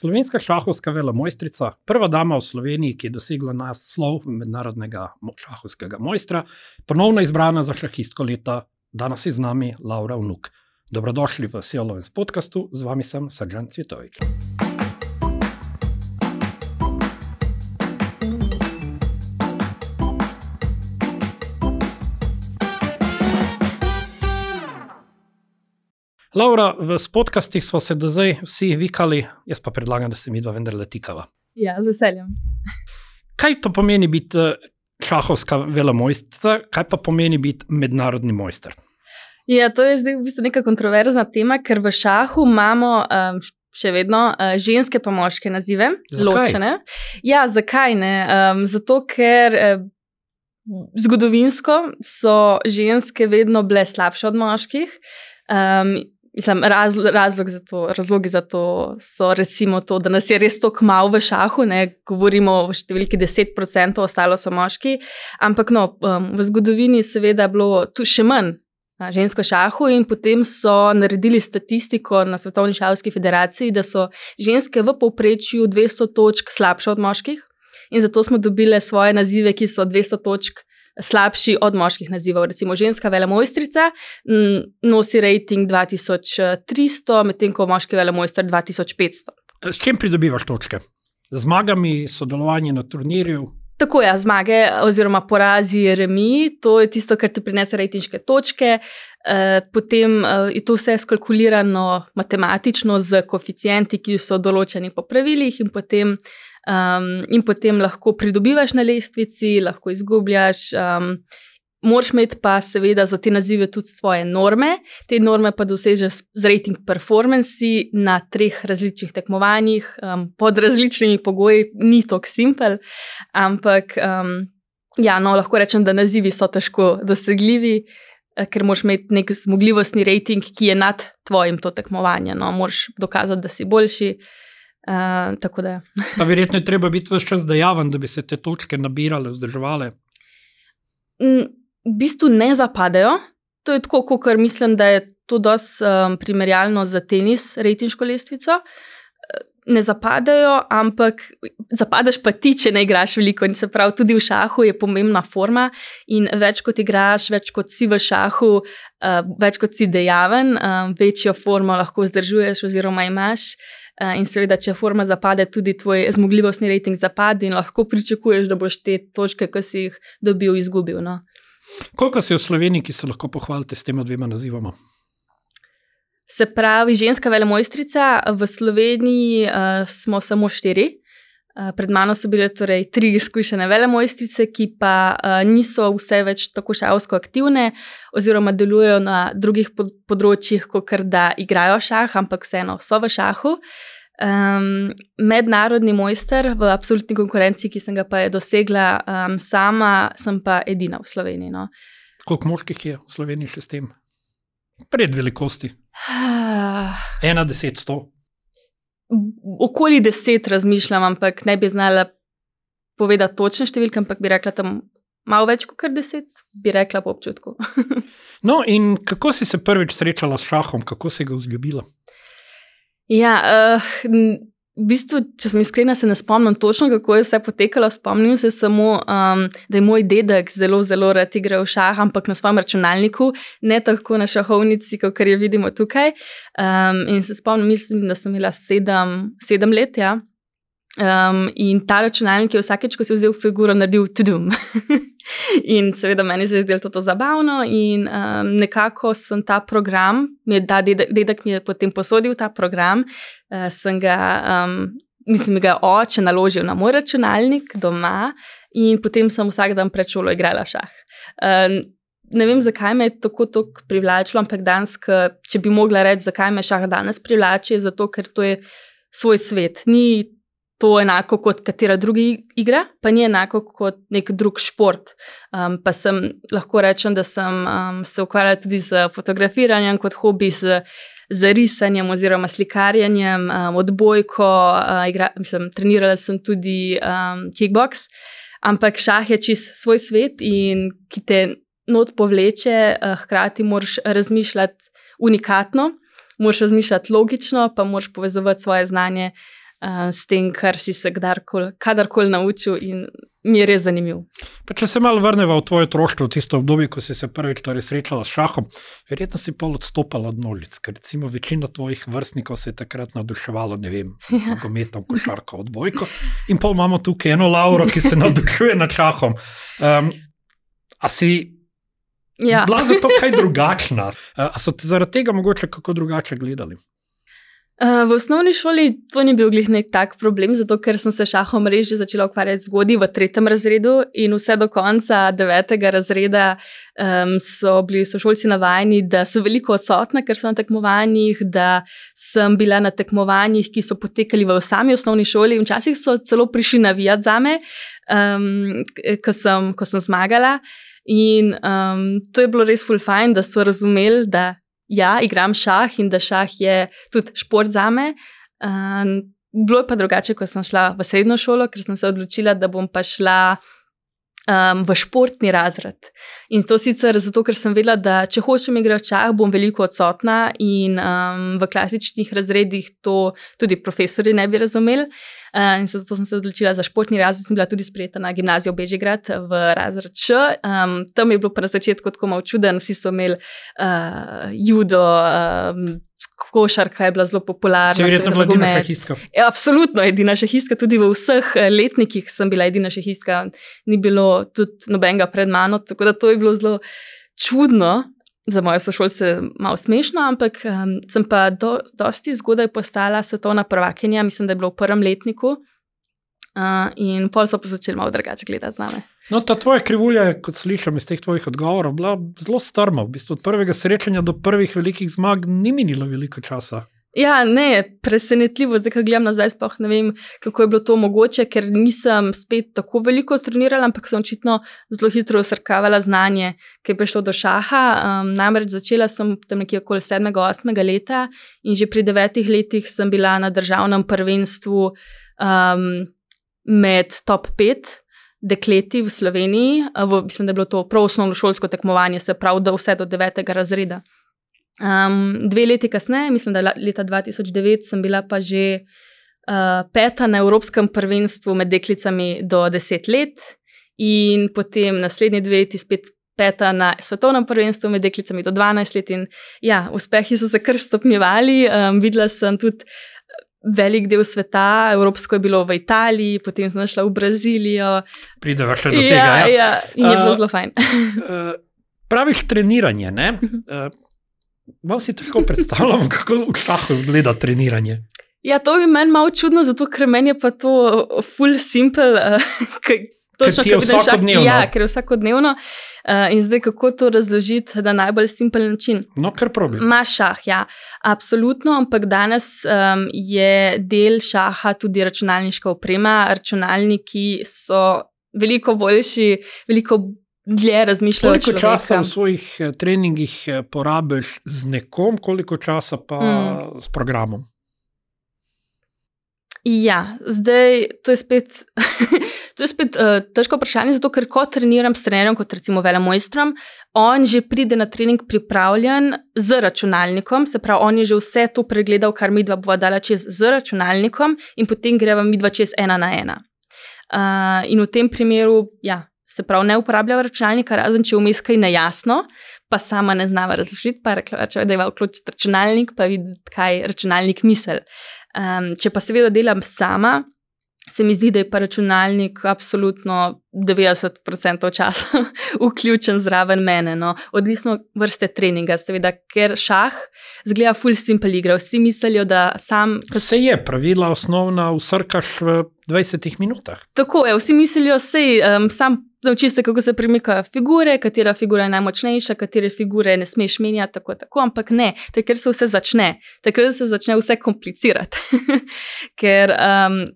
Slovenska šahovska velemojstrica, prva dama v Sloveniji, ki je dosegla naslov mednarodnega šahovskega mojstra, ponovno izbrana za šahistko leta, danes je z nami Laura Vnuk. Dobrodošli v SEO Lovens podcastu, z vami sem Srdjan Cvjetovič. Laura, v podcastih smo se do zdaj vsi vikali, jaz pa predlagam, da se midva vendarle tikava. Ja, z veseljem. Kaj to pomeni biti šahovska velemojstrica, kaj pa pomeni biti mednarodni mojster? Ja, to je zdaj v bistvu neka kontroverzna tema, ker v šahu imamo še vedno ženske pa moške nazive, ločene. Ja, zakaj ne? Zato, ker zgodovinsko so ženske vedno bile slabše od moških. Razlogi za to so recimo to, da nas je res toliko malo v šahu, ne, govorimo o številki 10%, ostalo so moški, ampak v zgodovini seveda bilo tu še manj žensko šahu in potem so naredili statistiko na Svetovni šahovski federaciji, da so ženske v povprečju 200 točk slabše od moških in zato smo dobile svoje nazive, ki so 200 točk slabši od moških nazivov. Recimo ženska velemojstrica nosi rating 2300, medtem ko moški velemojster 2500. S čim pridobivaš točke? Zmagami, sodelovanje na turnirju? Tako ja, zmage oziroma porazi, remi, to je tisto, kar ti prinese ratinške točke. Potem je to vse skalkulirano matematično z koeficienti, ki so določeni po pravilih in potem lahko pridobivaš na lestvici, lahko izgubljaš. Moraš imeti pa seveda za te nazive tudi svoje norme. Te norme pa dosežeš z rating performanci na 3 različnih tekmovanjih, pod različnimi pogoji, ni tako simpel, ampak lahko rečem, da nazivi so težko dosegljivi, ker moraš imeti nek zmogljivostni rating, ki je nad tvojim to tekmovanje. Moraš dokazati, da si boljši. Tako da. Pa verjetno je treba biti ves čas dejaven, da bi se te točke nabirale, vzdrževale. V bistvu ne zapadejo. To je tako, kot mislim, da je to dosti primerjalno za tenis, ratinško lestvico. Ne zapadejo, ampak zapadaš pa ti, če ne igraš veliko. In se pravi, tudi v šahu je pomembna forma in več kot igraš, več kot si v šahu, več kot si dejaven, večjo formo lahko vzdržuješ oziroma imaš. In seveda, če forma zapade, tudi tvoj zmogljivostni rating zapade in lahko pričakuješ, da boš te točke, ki si jih dobil, izgubil. Koliko si v Sloveniji, ki se lahko pohvalite s tema 2 nazivama? Se pravi, ženska velemojstrica, v Sloveniji smo samo 4. Pred mano so bile torej 3 izkušene velemojstrice, ki pa niso vse več tako šahovsko aktivne oziroma delujejo na drugih področjih, kakor da igrajo šah, ampak vseeno so v šahu. Mednarodni mojster v absolutni konkurenci, ki sem ga pa dosegla sama, sem pa edina v Sloveniji. Koliko moških je v Sloveniji še s tem? Pred velikosti? 1, 10, 100? Okoli 10 razmišljam, ampak ne bi znala povedati točne številke, ampak bi rekla tam malo več kot 10, bi rekla po občutku. No, in kako si se prvič srečala s šahom, kako si ga vzljubila? Ja, v bistvu, če sem iskrena, se ne spomnim točno, kako je vse potekalo. Spomnim se samo, da je moj dedek zelo, zelo rad igral šah, ampak na svojem računalniku, ne tako na šahovnici, kot je vidimo tukaj. In se spomnim, mislim, da sem imela 7 let, ja. In ta računalnik je vsakeč, ko si vzel figuro, naredil tudum. In seveda meni se je zdelo to zabavno in nekako sem ta program, dedek mi je potem posodil ta program, sem ga, mislim, ga oče naložil na moj računalnik doma in potem sem vsak dan pred šolo igrala šah. Ne vem, zakaj me je tako privlačilo, ampak danes, če bi mogla reči, zakaj me šah danes privlači, zato ker to je svoj svet. Ni to enako kot katera druga igra, pa ni enako kot nek drug šport. Pa lahko rečem, da sem se ukvarjala tudi z fotografiranjem kot hobi, z risanjem oziroma slikarjenjem, odbojko, trenirala sem tudi kickboks, ampak šah je čisto svoj svet in ki te not povleče, hkrati moraš razmišljati unikatno, moraš razmišljati logično, pa moraš povezovati svoje znanje s tem, kar si se kadarkoli naučil in mi je res zanimiv. Pa če se malo vrneva v tvoje otroštvo, v tisto obdobje, ko si se prvič srečala s šahom, verjetno si pol odstopala od množic, ker recimo večina tvojih vrstnikov se je takrat navduševalo, ne vem, nogometom, košarko, odbojko, in pol imamo tukaj eno Lauro, ki se navdušuje nad šahom. A si bila za to kaj drugačna? A so te zaradi tega mogoče kako drugače gledali? V osnovni šoli to ni bil glih nek tak problem, zato ker sem se šahom res že začela ukvarjati zgodaj v 3. razredu in vse do konca 9. razreda so bili sošolci navajeni, da sem veliko odsotna, ker sem na tekmovanjih, da sem bila na tekmovanjih, ki so potekali v sami osnovni šoli. Včasih so celo prišli navijati zame, ko sem zmagala. In to je bilo res ful fajn, da so razumeli, da ja, igram šah in da šah je tudi šport zame. Bilo je pa drugače, ko sem šla v srednjo šolo, ker sem se odločila, da bom pa šla v športni razred. In to sicer zato, ker sem vedela, da če hočem igrati šah, bom veliko odsotna in v klasičnih razredih to tudi profesori ne bi razumeli. In zato sem se odločila za športni razred, sem bila tudi sprejeta na gimnazijo Bežigrad v razred Š. Tam je bilo pa na začetku tako malo čuden, vsi so imeli judo, košarka je bila zelo popularna. Si verjetno bila edina šahistka? Ja, absolutno edina šahistka, tudi v vseh letnikih sem bila edina šahistka, ni bilo tudi nobenega pred mano, tako da to je bilo zelo čudno. Za moje sošolce malo smešno, ampak sem pa dosti zgodaj postala svetovna prvakinja, mislim, da je bilo v 1. letniku in pol so pa začeli malo drugače gledati name. No, ta tvoja krivulja je, kot slišam iz teh tvojih odgovorov, bila zelo strma. V bistvu od prvega srečanja do prvih velikih zmag ni minilo veliko časa. Ja, ne, presenetljivo, zdaj, ko gledam nazaj, sploh ne vem, kako je bilo to mogoče, ker nisem spet tako veliko trenirala, ampak sem očitno zelo hitro usrkavala znanje, ki je prišlo do šaha. Namreč začela sem tam nekje okoli 7. 8. leta in že pri 9 letih sem bila na državnem prvenstvu med top 5 dekleti v Sloveniji. Mislim, da je bilo to prav osnovnošolsko tekmovanje, se pravi, da vse do 9. razreda. 2 leti kasneje, mislim, da leta 2009, sem bila pa že 5. na Evropskem prvenstvu med deklicami do 10 let in potem naslednji 2 leti spet 5. na svetovnem prvenstvu med deklicami do 12 let in ja, uspehi so se kar stopnjevali. Videla sem tudi velik del sveta, evropsko je bilo v Italiji, potem sem šla v Brazilijo. Prideva še do tega, ja. Ja, in je bilo zelo fajn. Praviš treniranje, ne? Malo si težko predstavljam, kako v šahu izgleda treniranje. Ja, to bi meni malo čudno, zato ker meni je pa to full simple. Ker ti je vsakodnevno. Ja, ker je vsakodnevno. In zdaj, kako to razložiti na najbolj simpel način? No, kar problem. Imaš šah, ja, absolutno, ampak danes je del šaha tudi računalniška oprema. Računalniki so veliko boljši, veliko dlje razmišljajo človeka. Koliko časa v svojih treningih porabiš z nekom, koliko časa pa s programom? Ja, zdaj to je spet težko vprašanje, zato ker ko treniram s trenerjem, kot recimo velemojstrom, on že pride na trening pripravljen z računalnikom, se pravi, on je že vse to pregledal, kar midva bova dala čez z računalnikom in potem greva midva čez 1 na 1. In v tem primeru, ja, se pravi, ne uporabljava računalnika, razen če vmes kaj nejasno, pa sama ne znava razložiti, pa rekla, da je vključiti računalnik, pa videti, kaj računalnik misli. Če pa seveda delam sama, se mi zdi, da je pa računalnik absolutno 90% časa vključen zraven mene. No. Odvisno vrste treninga, seveda, ker šah zgleda full simple igra. Vsi mislijo, da sam... Se je, pravila osnovna vsrkaš v 20 minutah. Tako je, vsi mislijo, sam naučiš se, kako se premikajo figure, katera figura je najmočnejša, katere figure ne smeš menjati, tako, ampak ne, takrat se vse začne. Takrat se začne vse komplicirati. Ker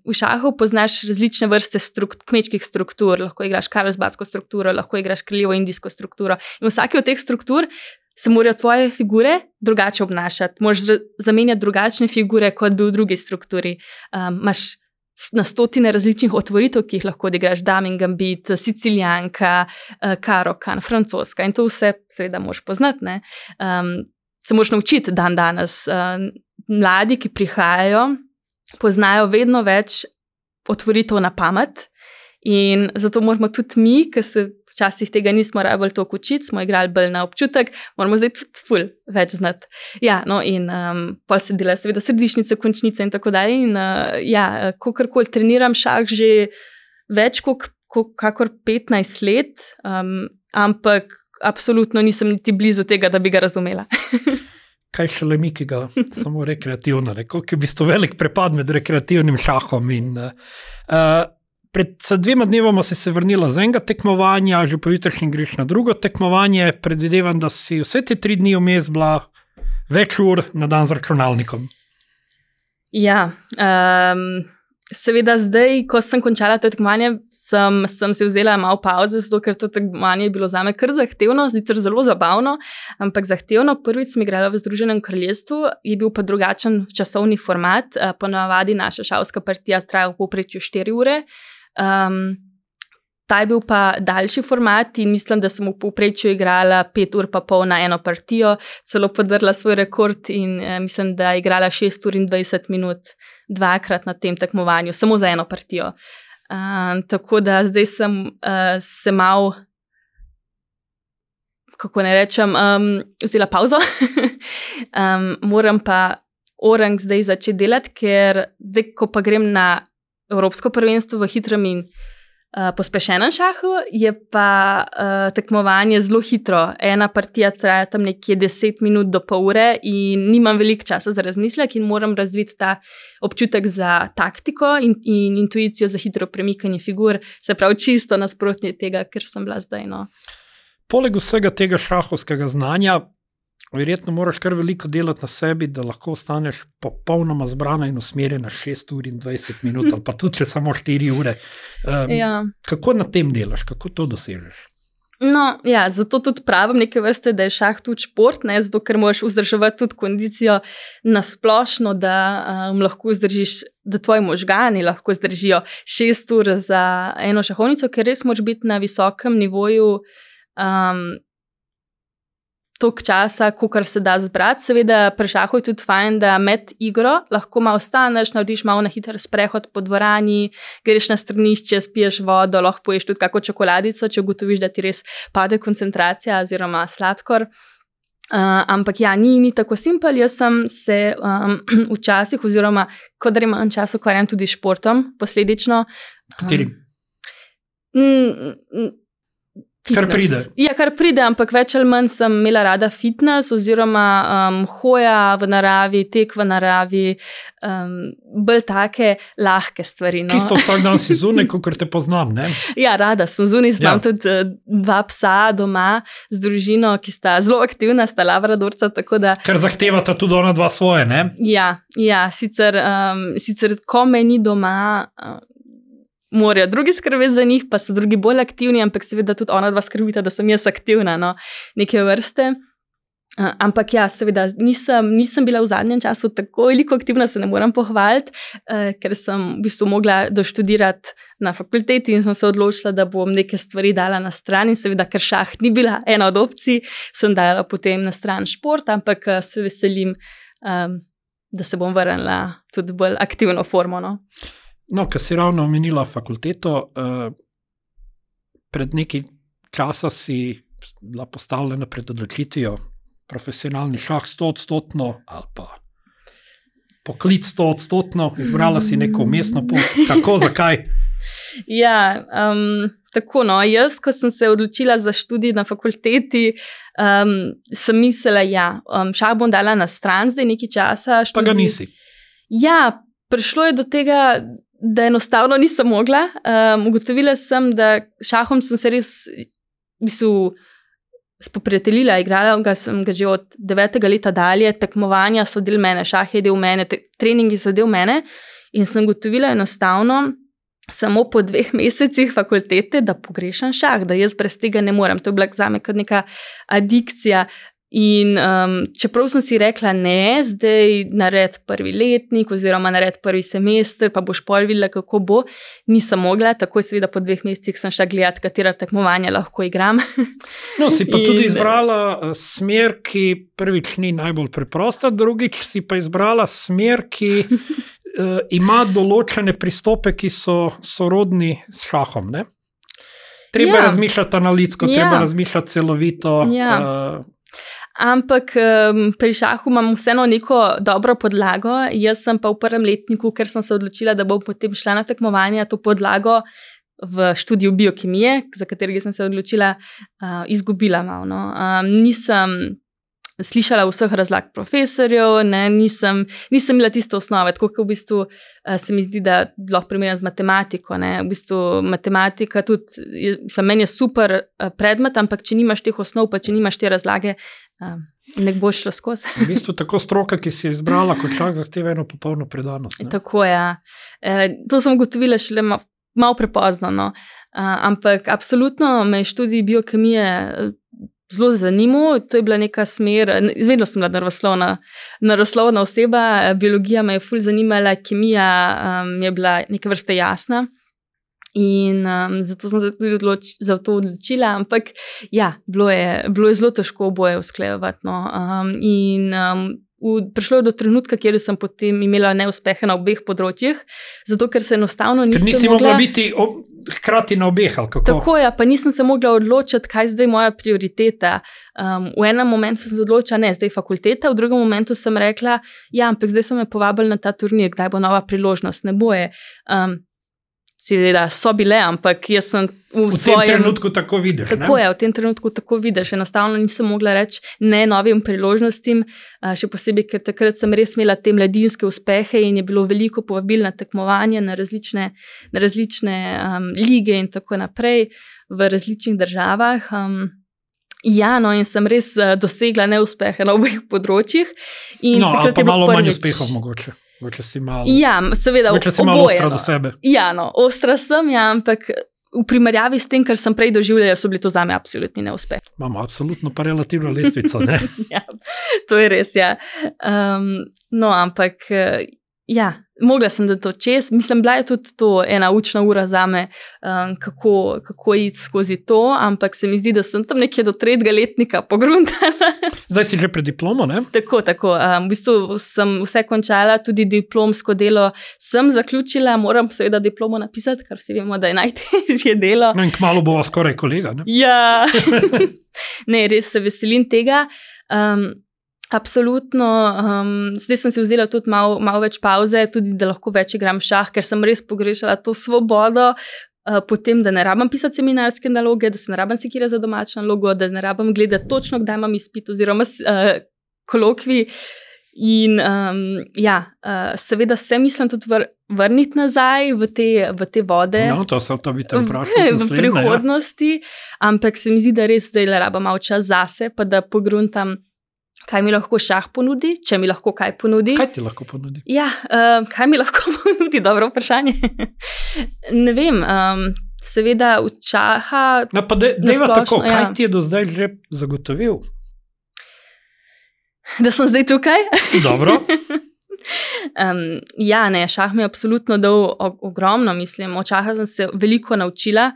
v šahu poznaš različne vrste kmečkih struktur, lahko igraš karlsbadsko strukturo, lahko igraš kraljevo-indijsko strukturo in vsake od teh struktur se morajo tvoje figure drugače obnašati. Moraš zamenjati drugačne figure, kot bi v drugi strukturi. Imaš na stotine različnih otvoritev, ki jih lahko odigraš, damin gambit, sicilijanka, karokan, francoska in to vse seveda moraš poznati, ne. Se moraš naučiti dan danes. Mladi, ki prihajajo poznajo vedno več otvoritev na pamet in zato moramo tudi mi, ki se včasih tega nismo rabili toliko učiti, smo igrali bolj na občutek, moramo zdaj tudi ful več znati. Ja, no in pol se delajo seveda središnice, končnice in tako dalje in kakorkoli treniram šah že več kakor 15 let, ampak absolutno nisem niti blizu tega, da bi ga razumela. Kaj šele mi, ki ga samo rekreativno, koliko je v bistvu velik prepad med rekreativnim šahom in pred 2 dnevoma si se vrnila z enega tekmovanja, že pojutrišnjem greš na drugo tekmovanje, predvidevam, da si vse te 3 dni vmes bila več ur na dan z računalnikom. Ja, seveda zdaj, ko sem končala to tekmovanje, sem se vzela malo pauze, zato ker to tekmovanje je bilo zame kar zahtevno, sicer zelo zabavno, ampak zahtevno. Prvič sem igrala v Združenem kraljestvu, je bil pa drugačen časovni format, ponavadi naša šahovska partija traja v povprečju 4 ure, ta je bil pa daljši format in mislim, da sem v povprečju igrala 5 ur pa pol na eno partijo, celo podrla svoj rekord in mislim, da je igrala 6 ur in 20 minut dvakrat na tem tekmovanju, samo za eno partijo. Tako da zdaj sem se malo, kako ne rečem, vzela pauzo. Moram pa orang zdaj začeti delati, ker zdaj, ko pa grem na Evropsko prvenstvo v hitrem in pospešenem šahu, je pa tekmovanje zelo hitro. Ena partija traja tam nekje 10 minut do pol ure in nimam veliko časa za razmislek in moram razviti ta občutek za taktiko in intuicijo za hitro premikanje figur, se pravi čisto nasprotnje tega, ker sem bila zdaj. No. Poleg vsega tega šahovskega znanja, verjetno moraš kar veliko delati na sebi, da lahko ostaneš popolnoma zbrana in usmerjena 6 ur in 20 minut, ali pa tudi samo 4 ure. Kako na tem delaš, kako to dosežeš? No, ja, zato tudi pravim neke vrste, da je šah tudi šport, ne, zato ker moraš vzdrževati tudi kondicijo nasplošno, da lahko vzdržiš, da tvoji možgani lahko zdržijo 6 ur za eno šahovnico, ker res moraš biti na visokem nivoju toliko časa, kolikor se da zbrati. Seveda pri šahu je tudi fajn, da med igro lahko malo ostaneš, narediš malo na hiter sprehod po dvorani, greš na stranišče, spiješ vodo, lahko poješ tudi kako čokoladico, če ugotoviš, da ti res pade koncentracija oziroma sladkor. Ampak ja, ni tako simpel. Jaz sem se včasih oziroma kadar imam čas ukvarjam tudi športom, posledično. Katerim? Fitness. Kar pride. Ja, kar pride, ampak več ali manj sem imela rada fitness oziroma hoja v naravi, tek v naravi, bolj take lahke stvari. No. Čisto vsak dan si zunaj, kakor te poznam, ne? Ja, rada sem zunaj, imam tudi 2 psa doma z družino, ki sta zelo aktivna, sta labradorca, tako da... Ker zahtevata tudi ona 2 svoje, ne? Ja, sicer ko me ni doma... morajo drugi skrbeti za njih, pa so drugi bolj aktivni, ampak seveda tudi ona 2 skrbita, da sem jaz aktivna, no, neke vrste. Ampak ja, seveda nisem bila v zadnjem času tako veliko aktivna, se ne moram pohvaliti, ker sem v bistvu mogla doštudirati na fakulteti in sem se odločila, da bom neke stvari dala na stran in seveda, ker šah ni bila ena od opcij, sem dala potem na stran šport, ampak se veselim, da se bom vrnila tudi bolj aktivno formo, no. No, ker si ravno omenila fakulteto, pred nekaj časa si bila postavljena pred odločitvijo profesionalni šah 100% ali pa poklic 100%, izbrala si neko vmesno pot. Kako, zakaj? Ja, tako no, jaz, ko sem se odločila za študij na fakulteti, sem mislila, šah bom dala na stran zdaj nekaj časa. Pa ga nisi. Ja, prišlo je do tega, da enostavno nisem mogla. Ugotovila sem, da šahom sem se res v bistvu spoprijateljila, igrala sem ga že od 9. leta dalje, tekmovanja so del mene, šah je del mene, treningi so del mene in sem ugotovila enostavno samo po 2 mesecih fakultete, da pogrešam šah, da jaz brez tega ne morem. To je bila zame kot neka adikcija. In čeprav sem si rekla, ne, zdaj nared 1. letnik oziroma nared 1. semester, pa boš pol videla, kako bo, nisem mogla, tako seveda po 2 mesecih sem šla gledati, katera tekmovanja lahko igram. No, si pa tudi izbrala smer, ki prvič ni najbolj preprosta, drugič si pa izbrala smer, ki ima določene pristope, ki so sorodni s šahom, ne? Treba razmišljati analitsko, treba razmišljati celovito. Ampak pri šahu imam vseeno neko dobro podlago. Jaz sem pa v prvem letniku, ker sem se odločila, da bom potem šla na tekmovanja, to podlago v študiju biokemije, za katerega sem se odločila, izgubila malo. No. Nisem slišala vseh razlag profesorjev, nisem imela tiste osnove, tako kot v bistvu se mi zdi, da lahko primerjam z matematiko. Ne. V bistvu matematika tudi, meni je super predmet, ampak če nimaš teh osnov, pa če nimaš te razlage, ne boš šlo skozi. V bistvu tako stroka, ki si jo izbrala kot šah, zahteva eno popolno predanost. Ne. Tako je. To sem ugotovila šele malo prepozno, no. Ampak absolutno me je študij biokemije zelo zanimal, to je bila neka smer, vedno sem bila naravoslovna oseba, biologija me je ful zanimala, kemija je bila neke vrste jasna in zato sem se tudi za to odločila, ampak ja, bilo je zelo težko oboje usklajevati. No. Prišlo je do trenutka, kjer sem potem imela neuspehe na obeh področjih, zato ker se enostavno nisem mogla... Ker nisi mogla biti hkrati na obeh, ali kako? Tako je, pa nisem se mogla odločiti, kaj zdaj moja prioriteta. V enem momentu sem se odločila, zdaj fakulteta, v drugem momentu sem rekla, ampak zdaj so me povabili na ta turnir, kdaj bo nova priložnost, ne boje. Seveda so bile, ampak jaz sem v svojem... tem trenutku tako vidiš, ne? Tako je, v tem trenutku tako vidiš. Enostavno nisem mogla reči ne novim priložnostim, še posebej, ker takrat sem res imela te mladinske uspehe in je bilo veliko povabil na tekmovanje, na različne lige in tako naprej v različnih državah. In sem res dosegla neuspehe na obeh področjih. Ali pa malo manj uspehov mogoče. Mogoče si malo ostra do sebe. Ostra sem, ampak v primerjavi s tem, kar sem prej doživljala, so bili to zame absolutni neuspeh. Imamo absolutno pa relativno lestvico, ne? To je res, ampak mogla sem da to čez. Mislim, bila je tudi to ena učna ura zame, kako iti skozi to, ampak se mi zdi, da sem tam nekje do 3. letnika pogruntala. Zdaj si že pred diplomo, ne? Tako. V bistvu sem vse končala, tudi diplomsko delo sem zaključila, moram seveda diplomo napisati, kar vsi vemo, da je najtežje delo. In kmalu bova skoraj kolega, ne? Ja, ne, res se veselim tega. Absolutno, zdaj sem si vzela tudi malo več pauze, tudi da lahko več igram šah, ker sem res pogrešala to svobodo, potem, da ne rabim pisati seminarske naloge, da se ne rabim sekirati za domačo nalogo, da ne rabim gledati točno, kdaj imam izpit oziroma kolokvij. In seveda se mislim tudi vrniti nazaj v te vode. To bi te vprašal v prihodnosti, ampak se mi zdi, da res zdaj rabim malo čas zase, pa da pogruntam, kaj mi lahko šah ponudi, če mi lahko kaj ponudi. Kaj ti lahko ponudi? Kaj mi lahko ponudi? Dobro vprašanje. Ne vem, seveda v šaha... Pa dejva tako, kaj ti je do zdaj že zagotovil? Da sem zdaj tukaj? Dobro. Šah mi je absolutno dal ogromno, mislim. Od šaha sem se veliko naučila,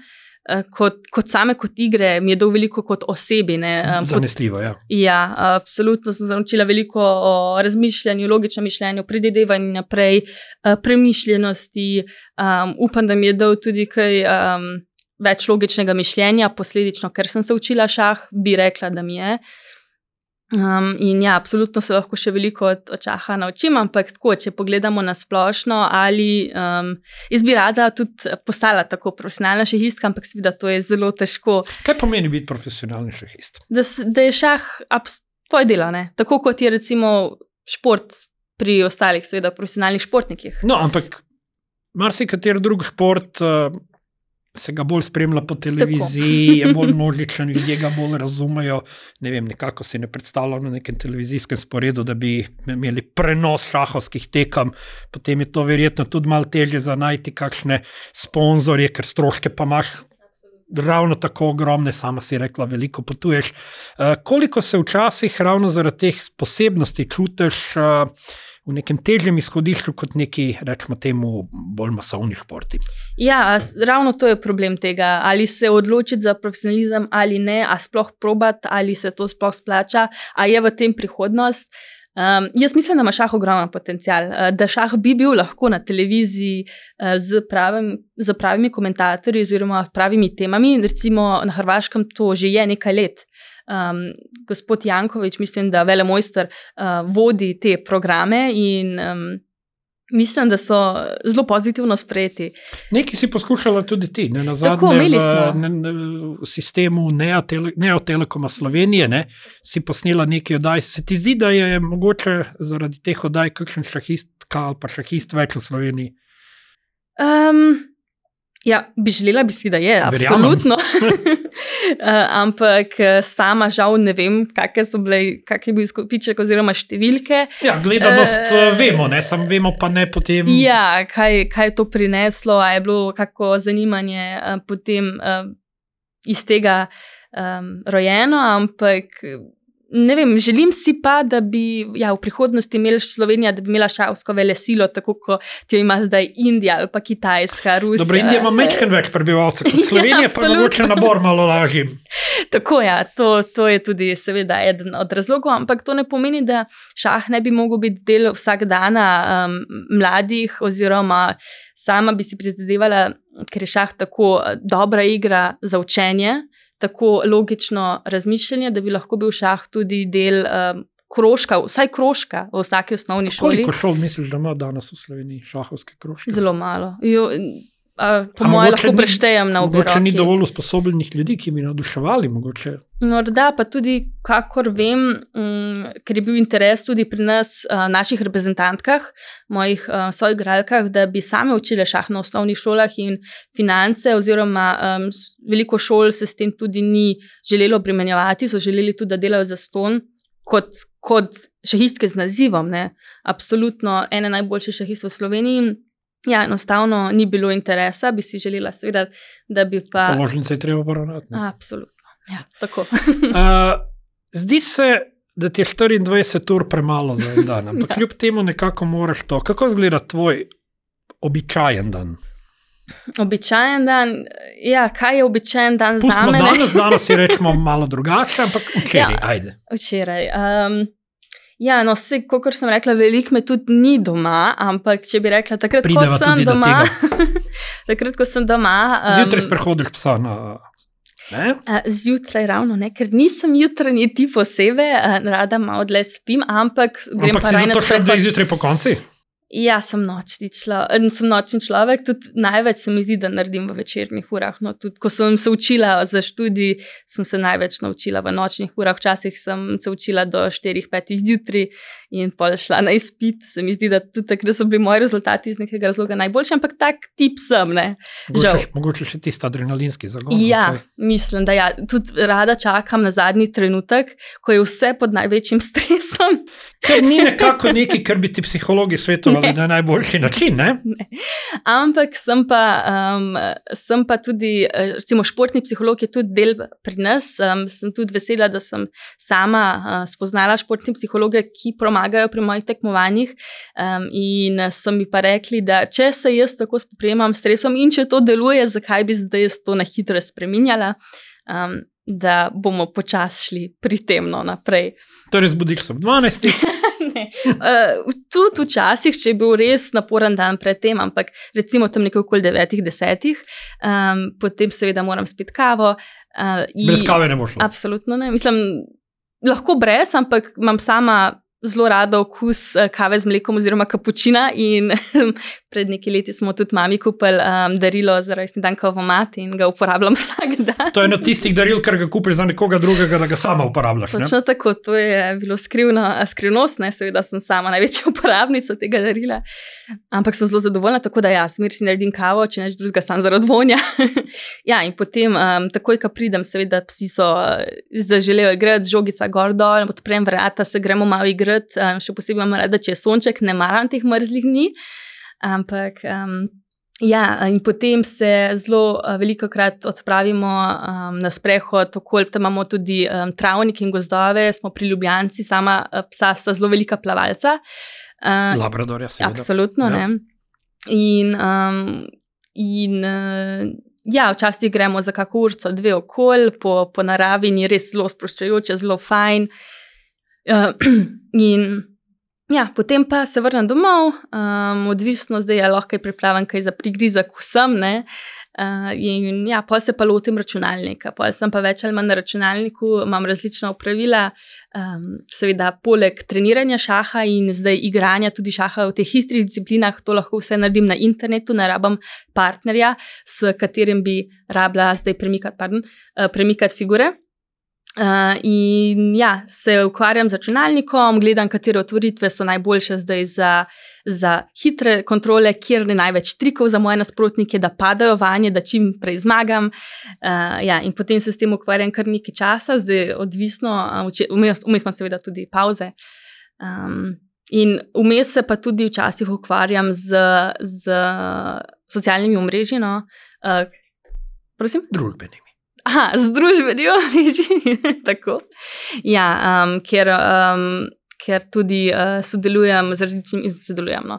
kot igre mi je dal veliko kot osebi. Zanesljivo, absolutno sem se naučila veliko o razmišljanju, logičnem mišljenju, predvidevanju naprej, premišljenosti. Upam, da mi je dal tudi kaj več logičnega mišljenja, posledično, ker sem se učila šah, bi rekla, da mi je. Absolutno se lahko še veliko od šaha naučim, ampak tako, če pogledamo na splošno, ali jaz bi rada tudi postala tako profesionalna šahistka, ampak seveda to je zelo težko. Kaj pomeni biti profesionalni šahist? Da je šah tvoje delo, ne? Tako kot je recimo šport pri ostalih, seveda profesionalnih športnikih. Ampak marsikateri drug šport se ga bolj spremlja po televiziji, je bolj množičen, ljudje ga bolj razumejo. Ne vem, nekako si ne predstavljam na nekem televizijskem sporedu, da bi imeli prenos šahovskih tekem, potem je to verjetno tudi malo težje za najti kakšne sponzorje, ker stroške pa imaš ravno tako ogromne, sama si rekla, veliko potuješ. Koliko se včasih ravno zaradi teh posebnosti čutiš v nekem težjem izhodišču kot neki, rečemo temu, bolj masovni športi? Ravno to je problem tega. Ali se odločiti za profesionalizem ali ne, a sploh probati, ali se to sploh splača, a je v tem prihodnost. Jaz mislim, da ima šah ogromen potencial, da šah bi bil lahko na televiziji z pravimi komentatorji oziroma pravimi temami. Recimo na Hrvaškem to že je nekaj let. Gospod Janković, mislim, da velemojster vodi te programe in mislim, da so zelo pozitivno sprejeti. Nekaj si poskušala tudi ti, ne, Tako, imeli v sistemu Neo Telekoma Slovenije, ne, si posnela nekaj oddaj. Se ti zdi, da je mogoče zaradi teh oddaj kakšen šahistka ali pa šahist več v Sloveniji? Ja, bi želela bi si, da je, absolutno. Ampak sama žal ne vem, kak je bil izkupiček oziroma številke. Ja, gledanost vemo, ne, sam vemo pa ne potem. Ja, kaj je to prineslo, a je bilo kako zanimanje potem iz tega rojeno, ampak ne vem, želim si pa, da bi v prihodnosti imela Slovenija, da bi imela šahovsko velesilo, tako kot jo ima zdaj Indija ali pa Kitajska, Rusija. Dobro, Indija ima majčkeno več prebivalcev kot Slovenija, pa mogoče nabor malo lažji. Tako ja, to je tudi seveda eden od razlogov, ampak to ne pomeni, da šah ne bi mogel biti del vsakdana mladih oziroma sama bi si prizadevala, ker je šah tako dobra igra za učenje, tako logično razmišljanje, da bi lahko bil šah tudi del krožka, vsaj krožka v vsaki osnovni šoli. Koliko šol misliš, da ima danes v Sloveniji šahovske krožke? Zelo malo. Po moje lahko preštejem na obe roki. Mogoče ni dovolj usposobljenih ljudi, ki bi navduševali mogoče. Morda pa tudi, kakor vem, ker je bil interes tudi pri nas, naših reprezentantkah, mojih soigralkah, da bi same učile šah na osnovnih šolah in finance oziroma veliko šol se s tem tudi ni želelo obremenjevati, so želeli tudi, da delajo zastonj kot šahistke z nazivom, ne. Absolutno ene najboljših šahistov v Sloveniji. Ja, enostavno ni bilo interesa, bi si želela seveda, da bi pa... Položnice je treba poravnati. Absolutno, ja, tako. Zdi se, da ti je 24 ur premalo za en dan, ampak kljub temu nekako moraš to. Kako izgleda tvoj običajen dan? Običajen dan, ja, kaj je običajen dan za mene? Danes si rečemo malo drugače, ampak včeraj, ajde. Včeraj, ja, no, kakor sem rekla, veliko me tudi ni doma, ampak če bi rekla, takrat, ko sem doma... Zjutraj sprehodiš psa na... Zjutraj ravno ne, ker nisem jutranji tip osebe, rada malo dlje spim, ampak grem pa raj na sprehod. Ampak si zato še dve zjutraj po konci? Ja, sem nočni človek, tudi največ se mi zdi, da naredim v večernih urah, no, tudi ko sem se učila za študij, sem se največ naučila v nočnih urah, včasih sem se učila do 4-5 zjutraj in pol šla na izpit, se mi zdi, da tudi takrat so bili moji rezultati iz nekega razloga najboljši, ampak tak tip sem, ne, žal. Mogoče še tisti adrenalinski zagon. Ja, mislim, da ja, tudi rada čakam na zadnji trenutek, ko je vse pod največjim stresom. Ker ni nekako nekaj, kar bi ti psihologi svetovali na najboljši način, ne? Ne. Ampak sem pa tudi, recimo športni psiholog je tudi del pri nas, sem tudi vesela, da sem sama spoznala športni psihologe, ki pomagajo pri mojih tekmovanjih in so mi pa rekli, da če se jaz tako spoprijemam s stresom in če to deluje, zakaj bi zdaj jaz to na hitro spreminjala, da bomo počasi šli pri tem naprej. Torej zbudiš se ob 12. Ne. Tudi včasih, če je bil res naporen dan pred tem, ampak recimo tam nekaj okoli 9-10, potem seveda moram spiti kavo. Brez kave ne bo šlo? Absolutno ne. Mislim, lahko brez, ampak imam sama zelo rada okus kave z mlekom oziroma kapučina in pred nekaj leti smo tudi mami kupili darilo za rojstni dan kavomat in ga uporabljam vsak dan. To je eno tistih daril, ker ga kupiš za nekoga drugega, da ga sama uporabljaš, ne? Točno tako, to je bilo skrivnost, ne, seveda sem sama največja uporabnica tega darila, ampak sem zelo zadovoljna, tako da ja, smer si naredim kavo, če neč drugega sam zaradi vonja. Ja, in potem takoj, ko pridem, seveda psi so zaželejo igrati, žogica gor dol, odprem vrata, se gremo malo igrati, še posebej imam rada, če je sonček, ne maram teh mrzlih dni, ampak ja, in potem se zelo velikokrat odpravimo na sprehod okoli, tam imamo tudi travnik in gozdove, smo pri Ljubljanci, sama psa sta zelo velika plavalca. Labradorja seveda. Absolutno, ja. Ne. Ja, včasih gremo za kako urco, 2 okoli, po naravi in je res zelo sproščajoče, zelo fajn. In Ja, potem pa se vrnem domov, odvisno zdaj, ali lahko pripravim kaj za prigrizek vsem, ne. In ja, pol se pa lotim računalnika, pol sem pa več ali manj na računalniku, imam različna opravila, seveda poleg treniranja šaha in zdaj igranja tudi šaha v teh hitrih disciplinah, to lahko vse naredim na internetu, ne rabim partnerja, s katerim bi rabila zdaj premikati figure. In ja, se ukvarjam z računalnikom, gledam, katere otvoritve so najboljše zdaj za hitre kontrole, kjer je največ trikov za moje nasprotnike, da padajo vanje, da čim prej zmagam. Ja, in potem se s tem ukvarjam kar nekaj časa, zdaj odvisno, vmes imam seveda tudi pauze. In vmes se pa tudi včasih ukvarjam z socialnimi omrežji, no. Prosim? Družbenimi. Aha, z družbenimi omrežji, tako. Ja, ker tudi sodelujem z različnimi, no.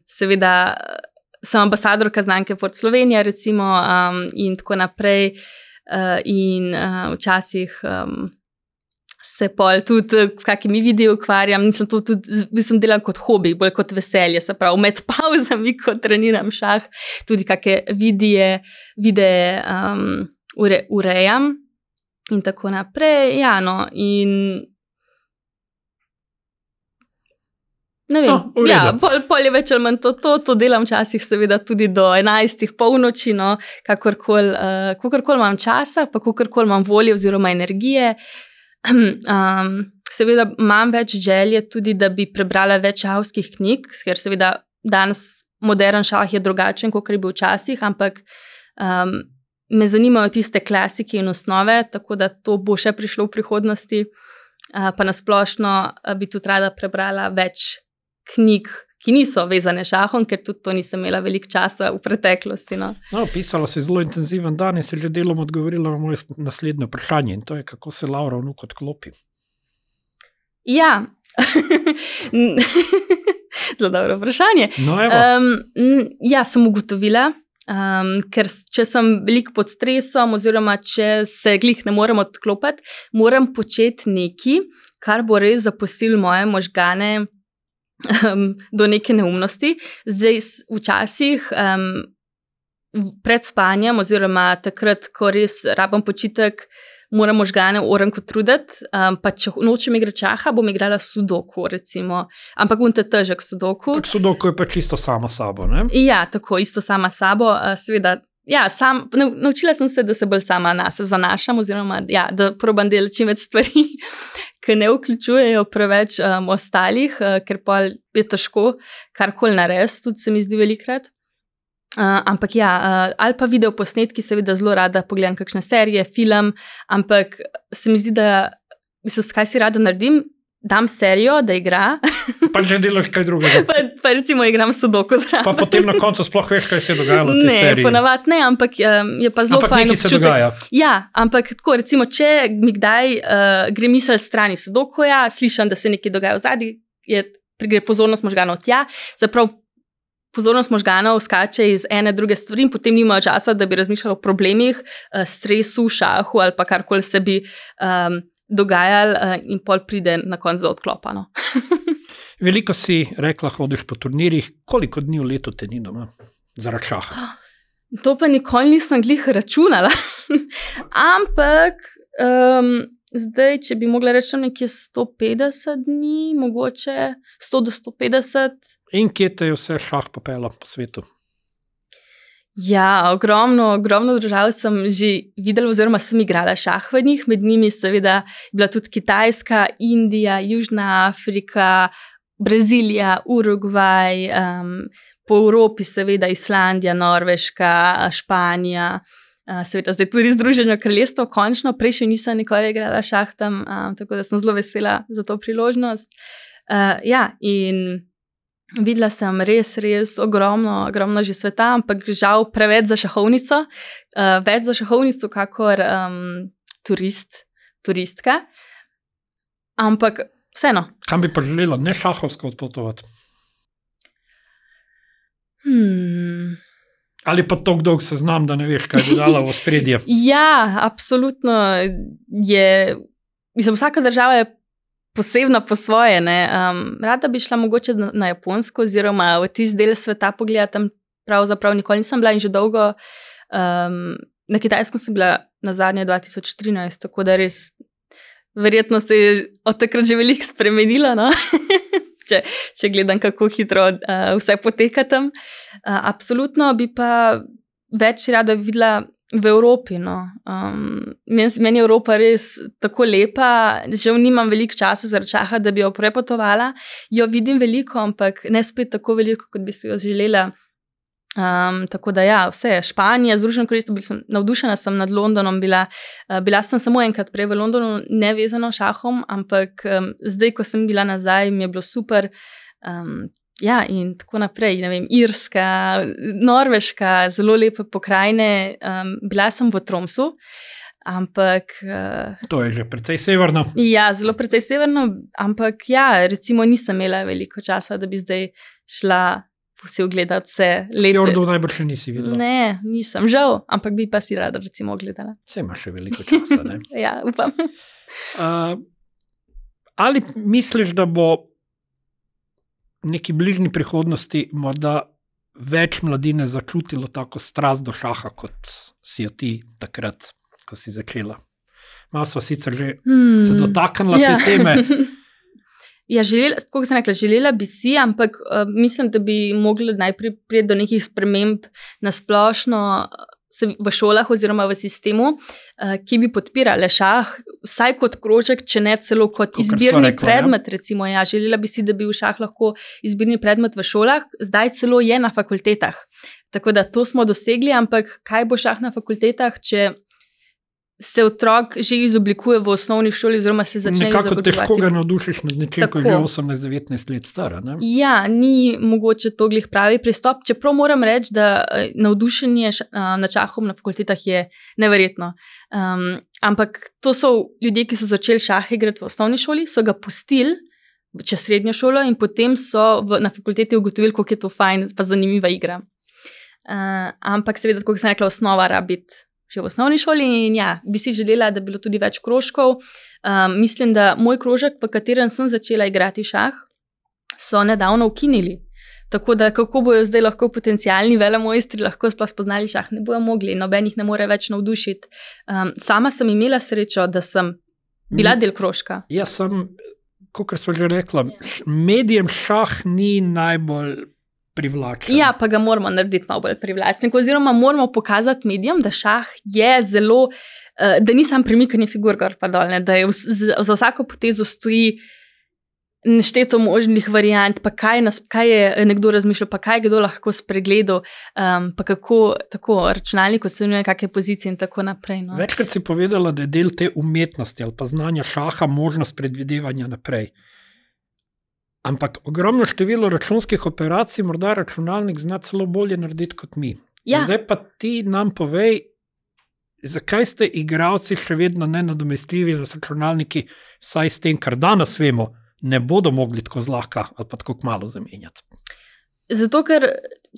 Seveda sem ambasadorka znamke Ford Slovenija, recimo, in tako naprej, in včasih se pol tudi s kakimi videi ukvarjam, mislim, delam kot hobi, bolj kot veselje, se pravi, med pavzami, ko treniram šah, tudi kakšne videe urejam in tako naprej, ja, no, in ne vem, ja, pol je več ali manj to delam včasih seveda tudi do 11 polnoči, no, kakorkoli imam časa, pa kakorkoli imam volje oziroma energije. Seveda imam več želje tudi, da bi prebrala več šahovskih knjig, ker seveda danes modern šah je drugačen, kot je bil včasih, ampak me zanimajo tiste klasike in osnove, tako da to bo še prišlo v prihodnosti, pa nasplošno bi tudi rada prebrala več knjig, ki niso vezane šahom, ker tudi to nisem imela veliko časa v preteklosti. No, pisala si zelo intenziven dan in si že delom odgovorila na moje naslednje vprašanje, in to je, kako se Laura Vnuk odklopi. Ja, zelo dobro vprašanje. No, evo. Ja, sem ugotovila, ker če sem veliko pod stresom oziroma če se glih ne morem odklopiti, moram početi nekaj, kar bo res zaposlilo moje možgane do neke neumnosti. Zdaj včasih pred spanjem oziroma takrat, ko res rabim počitek, moram možgane orenko truditi, pa če nočem igrati šaha, bom igrala sudoku, recimo. Ampak unta težek sudoku. Sudoku je pa čisto sama sabo, ne? Ja, tako, isto sama sabo. Seveda, ja, naučila sem se, da se bolj sama nase zanašam, oziroma, ja, da probam delati čim več stvari, ki ne vključujejo preveč ostalih, ker pa je težko karkoli narediti, tudi se mi zdi velikrat. Ampak ja, ali pa video posnetki, seveda zelo rada pogledam kakšne serije, film, ampak se mi zdi, da kaj si rada naredim, dam serijo, da igra. Pa že delaš kaj drugega. Pa recimo igram sudoku zraven. Pa potem na koncu sploh veš, kaj se je dogajalo v tej seriji. Ne, ponavadi ne, ampak je pa zelo fajn občutek. Ampak nekaj se dogaja. Ja, ampak tako, recimo, če mi kdaj gre misel strani sudokuja, slišim, da se nekaj dogaja v zadnji, gre pozornost možganov tja, zaprav pozornost možganov skače iz ene druge stvari in potem nimajo časa, da bi razmišljali o problemih, stresu, šahu ali pa karkoli se bi dogajali in pol pride na koncu odklopano. Veliko si rekla, hodiš po turnirjih, koliko dni v letu te ni doma zaradi šaha? To pa nikoli nisem glih računala, ampak zdaj, če bi mogla reči nekje 150 dni, mogoče 100 do 150. In kje te je vse šah popela po svetu? Ja, ogromno držav sem že videla, oziroma sem igrala šah v njih, med njimi seveda bila tudi Kitajska, Indija, Južna Afrika, Brazilija, Urugvaj, po Evropi seveda Islandija, Norveška, Španija, seveda zdaj tudi Združeno kraljestvo, končno, prej še nisem nikoli igrala šah tam, tako da sem zelo vesela za to priložnost. Ja, in videla sem res ogromno že sveta, ampak žal preveč za šahovnico, več za šahovnico kakor turistka, ampak vseeno. Kam bi pa želela ne šahovsko odpotovati? Ali pa tako dolg seznam, da ne veš, kaj bi dala v ospredje? Ja, absolutno je, mislim, vsaka država je posebna po svoje. Rada bi šla mogoče na Japonsko oziroma v tisti del sveta pogledati, tam pravzaprav nikoli nisem bila in že dolgo. Na Kitajskem sem bila na zadnje 2013, tako da res verjetno se je od takrat že veliko spremenilo, no? če gledam, kako hitro vse poteka tam. Absolutno bi pa več rada videla v Evropi. No. Meni je Evropa res tako lepa, žal nimam veliko časa zaradi šaha, da bi jo prepotovala. Jo vidim veliko, ampak ne spet tako veliko, kot bi si jo želela. Tako da ja, vse je Španija, Združeno kraljestvo, navdušena sem nad Londonom, bila sem samo enkrat prej v Londonu, nevezano šahom, ampak zdaj, ko sem bila nazaj, mi je bilo super. Ja, in tako naprej, ne vem, Irska, Norveška, zelo lepe pokrajine. Bila sem v Tromsu, ampak... To je že precej severno. Ja, zelo precej severno, ampak ja, recimo nisem imela veliko časa, da bi zdaj šla vsi ogledati vse lete. Fjordov najbrž še nisi videla. Ne, nisem, žal, ampak bi pa si rada recimo ogledala. Vse ima še veliko časa, ne? Ja, upam. Ali misliš, da bo v neki bližnji prihodnosti morda več mladine začutilo tako strast do šaha, kot si jo ti takrat, ko si začela? Malo sva sicer že se dotaknila te teme. Ja, kot sem rekla, želela bi si, ampak mislim, da bi mogli najprej priti do nekih sprememb na splošno v šolah oziroma v sistemu, ki bi podpirale šah, vsaj kot krožek, če ne celo kot izbirni predmet. Recimo, ja, želela bi si, da bi v šah lahko izbirni predmet v šolah, zdaj celo je na fakultetah. Tako da to smo dosegli, ampak kaj bo šah na fakultetah, če se otrok že izoblikuje v osnovni šoli oziroma se začne izoblikovati. Nekako težko ga navdušiš nad nečem, ko je že 18-19 let stara, ne? Ja, ni mogoče to glih pravi pristop, čeprav moram reči, da navdušenje nad šahom na fakultetah je neverjetno. Ampak to so ljudje, ki so začeli šah igrati v osnovni šoli, so ga pustili čez srednjo šolo in potem so na fakulteti ugotovili, koliko je to fajn pa zanimiva igra. Ampak seveda, kot sem rekla, osnova rabi biti že v osnovni šoli in ja, bi si želela, da bi bilo tudi več krožkov. Mislim, da moj krožek, v katerem sem začela igrati šah, so nedavno ukinili. Tako da kako bojo zdaj lahko potencialni velemojstri lahko sploh spoznali šah, ne bojo mogli, noben jih ne more več navdušiti. Sama sem imela srečo, da sem bila del krožka. Ja, kot smo že rekla, medijem šah ni najbolj privlačen. Ja, pa ga moramo narediti malo bolj privlačen, oziroma moramo pokazati medijem, da šah je zelo, da ni sam premikanje figur gor pa dol, da je za vsako potezo stoji nešteto možnih variant, pa kaj je nekdo razmišljal, pa kaj kdo lahko spregledal, pa kako tako računalnik ocenjuje kakšne pozicije in tako naprej. No. Večkrat si povedala, da je del te umetnosti ali pa znanja šaha možnost predvidevanja naprej. Ampak ogromno število računskih operacij morda računalnik zna celo bolje narediti kot mi. Ja. Zdaj pa ti nam povej, zakaj ste igralci še vedno nenadomestljivi z računalniki, vsaj s tem, kar danes vemo, ne bodo mogli tako zlahka ali pa tako malo zamenjati. Zato, ker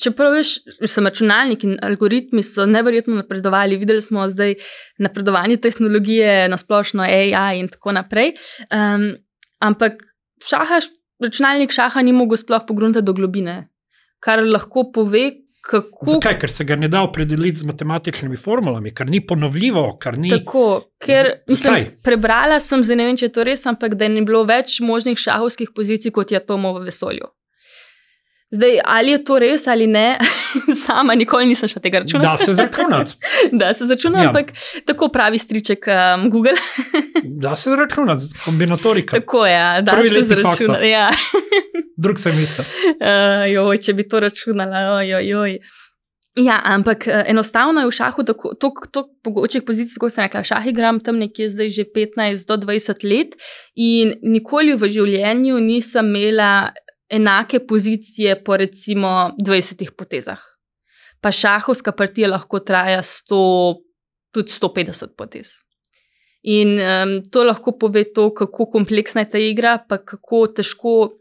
čeprav veš, računalniki in algoritmi so neverjetno napredovali, videli smo zdaj napredovanje tehnologije, nasplošno AI in tako naprej, ampak računalnik šaha ni mogel sploh pogruntati do globine, kar lahko pove, kako... Zakaj? Ker se ga ne da opredeliti z matematičnimi formulami, ker ni ponovljivo, ker ni... Tako, ker prebrala sem, zdaj ne vem, če je to res, ampak da ni bilo več možnih šahovskih pozicij, kot je atomov v vesolju. Zdaj, ali je to res ali ne, sama nikoli nisem šla tega računati. Da se zračunati. Da se zračunati, ampak tako pravi striček Google. Da se zračunati, kombinatorika. Tako je, da se zračunati. Ja. Drug sem isto. Če bi to računala, Ja, ampak enostavno je v šahu toliko pogočih pozicij, kot sem rekla, šah igram tam nekje zdaj že 15 do 20 let in nikoli v življenju nisem imela enake pozicije po recimo 20 potezah. Pa šahovska partija lahko traja tudi 150 potez. In to lahko pove to, kako kompleksna je ta igra, pa kako težko,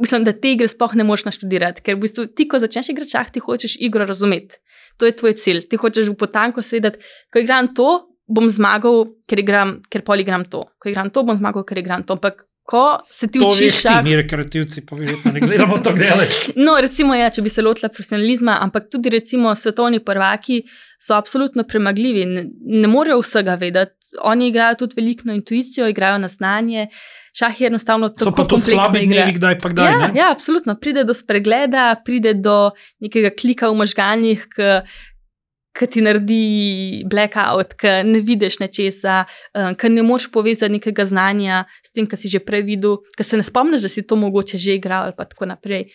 mislim, da te igre sploh ne moreš naštudirati, ker v bistvu ti, ko začneš igrati šah, ti hočeš igro razumeti. To je tvoj cilj. Ti hočeš v potanko sedeti, ko igram to, bom zmagal, ker pol igram to. Ko igram to, bom zmagal, ker igram to. Ampak ko se ti učiš šah... To veš ti, mi rekreativci, pa verjetno ne gledamo to gledati. No, recimo, ja, če bi se lotila profesionalizma, ampak tudi recimo svetovni prvaki so absolutno premagljivi. Ne morejo vsega vedeti. Oni igrajo tudi veliko na intuicijo, igrajo na znanje. Šah je enostavno tako kompleksna igra. So pa tudi slabi dnevi, kdaj pa kdaj, ne? Ja, absolutno. Pride do spregleda, pride do nekega klika v možganjih, ki ti naredi blackout, ki ne vidiš nečesa, ki ne moreš povezati nekega znanja s tem, kar si že prej videl, ki se ne spomniš, da si to mogoče že igral ali pa tako naprej.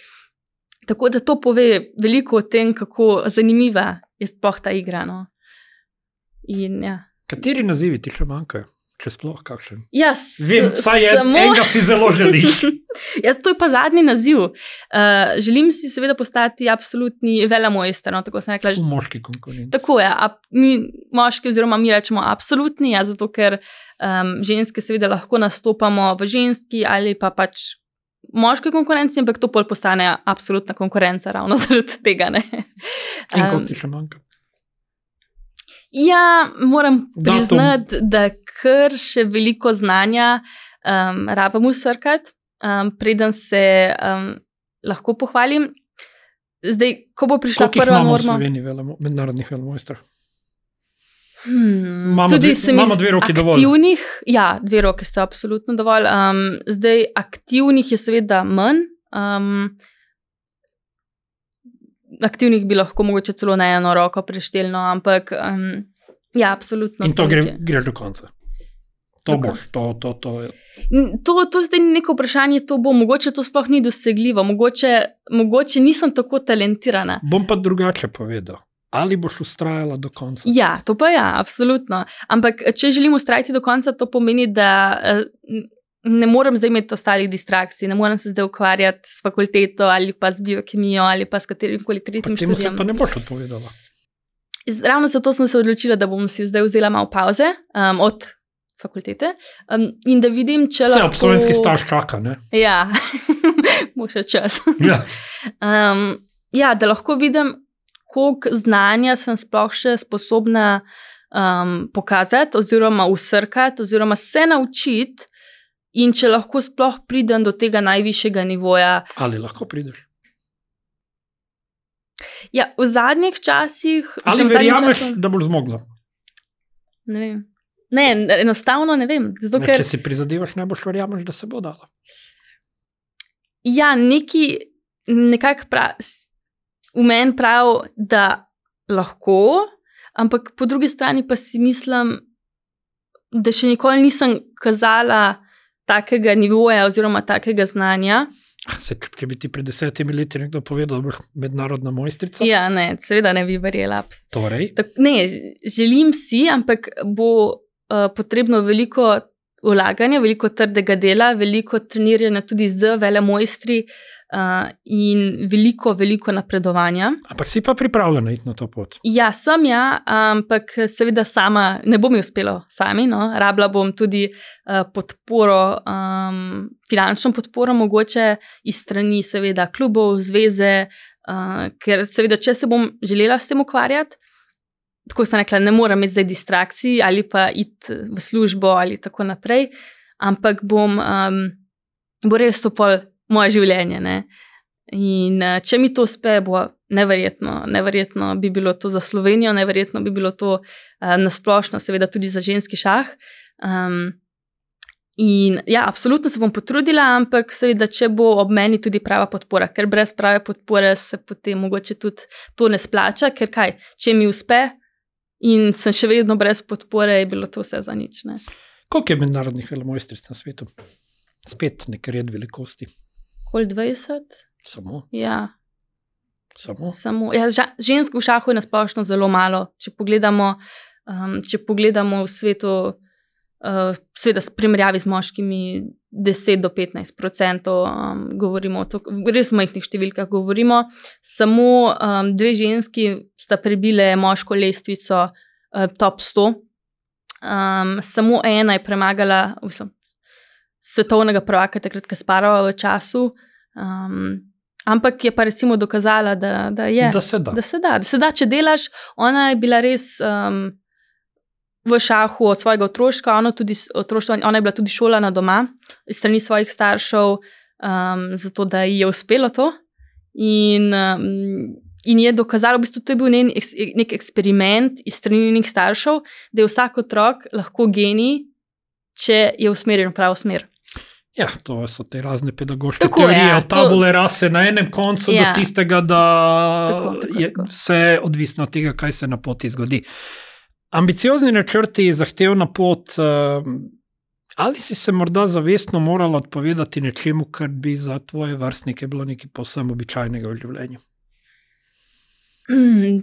Tako da to pove veliko o tem, kako zanimiva je sploh ta igra. No. In, ja. Kateri nazivi ti še manjkajo? Če sploh kakšen? Ja, vem, vsaj enega si zelo želiš. Ja, to je pa zadnji naziv. Želim si seveda postati absolutni velemojster, no, tako sem rekla. V moški konkurenci. Tako je, mi moški oziroma mi rečemo absolutni, ja, zato ker ženske seveda lahko nastopamo v ženski ali pa pač moški konkurenci, ampak to pol postane absolutna konkurenca ravno zaradi tega, ne. In koliko ti še manjka? Ja, moram priznati, da kar še veliko znanja rabim usrkati, preden se lahko pohvalim. Zdaj, ko bo prišla prva norma... Koliko jih imamo v Sloveniji mednarodnih velemojstrov? Imamo dve roki dovolj. Aktivnih, ja, 2 roke sta absolutno dovolj. Zdaj, aktivnih je seveda manj. Aktivnih bi lahko mogoče celo na eno roko preštelno, ampak ja, absolutno. In to greš do konca. To boš, to je. To zdaj ni neko vprašanje, to bo, mogoče to sploh ni dosegljivo, mogoče nisem tako talentirana. Bom pa drugače povedal. Ali boš ustrajala do konca? Ja, to pa ja, absolutno. Ampak, če želim ustrajati do konca, to pomeni, da ne morem zdaj imeti ostalih distrakcij, ne morem se zdaj ukvarjati s fakulteto ali pa z biokemijo ali pa s katerimkoli tretjim študijem. Pa temu se pa ne boš odpovedala. Ravno zato sem se odločila, da bom si zdaj vzela malo pauze od fakultete in da vidim, če lahko... Vse absolventski staž čaka, ne? Ja, bo še čas. Ja. Ja, da lahko vidim, koliko znanja sem sploh še sposobna pokazati oziroma usrkati oziroma se naučiti. In če lahko sploh pridem do tega najvišjega nivoja. Ali lahko prideš? Ja, v zadnjih časih... Ali verjameš, da boš zmogla? Ne vem. Ne, enostavno ne vem. Zato, ker... Če si prizadevaš, ne boš verjameš, da se bo dala. Ja, nekako v meni prav, da lahko, ampak po drugi strani pa si mislim, da še nikoli nisem kazala takega nivoja oziroma takega znanja. Če bi ti pred 10 leti nekdo povedal, da boš mednarodna mojstrica? Ja, ne, seveda ne bi verjela. Torej? Ne, želim si, ampak bo potrebno veliko vlaganja, veliko trdega dela, veliko treniranja tudi z velemojstri in veliko napredovanja. Ampak si pa pripravljena iti na to pot? Ja, sem ja, ampak seveda sama ne bom uspelo sami, no. Rabila bom tudi podporo, finančno podporo mogoče iz strani seveda klubov, zveze, ker seveda, če se bom želela s tem ukvarjati, tako sem rekla, ne moram imeti zdaj distrakcij ali pa iti v službo ali tako naprej, ampak bo res to pol moje življenje, ne. In če mi to uspe, bo neverjetno bi bilo to za Slovenijo, neverjetno bi bilo to nasplošno, seveda tudi za ženski šah. In ja, absolutno se bom potrudila, ampak seveda, če bo ob meni tudi prava podpora, ker brez prave podpore se potem mogoče tudi to ne splača, ker kaj, če mi uspe in sem še vedno brez podpore, je bilo to vse za nič, ne. Koliko je mednarodnih velemojstric na svetu? Spet nek red velikosti. Okoli 20? Samo? Ja. Samo? Ja, žensk v šahu je nasplošno zelo malo. Če pogledamo v svetu, seveda s primerjavi z moškimi 10 do 15%, govorimo o to, res majhnih številkah govorimo. Samo 2 ženski sta prebile moško lestvico top 100. Samo ena je premagala svetovnega prvaka takrat Kasparova v času, ampak je pa recimo dokazala, da se da, če delaš. Ona je bila res v šahu od svojega otroštva, ona je bila tudi šolana doma, iz strani svojih staršev, zato da ji je uspelo to. In je dokazalo, v bistvu to je bil nek eksperiment iz strani njenih staršev, da je vsak otrok lahko genij, če je usmerjen v pravo smer. Ja, to so te razne pedagoške teorije, od tabule rase na enem koncu do tistega, da je vse odvisno od tega, kaj se na poti zgodi. Ambiciozni načrti, zahtevna pot, ali si se morda zavestno morala odpovedati nečemu, kar bi za tvoje vrstnike bilo nekaj povsem običajnega v življenju?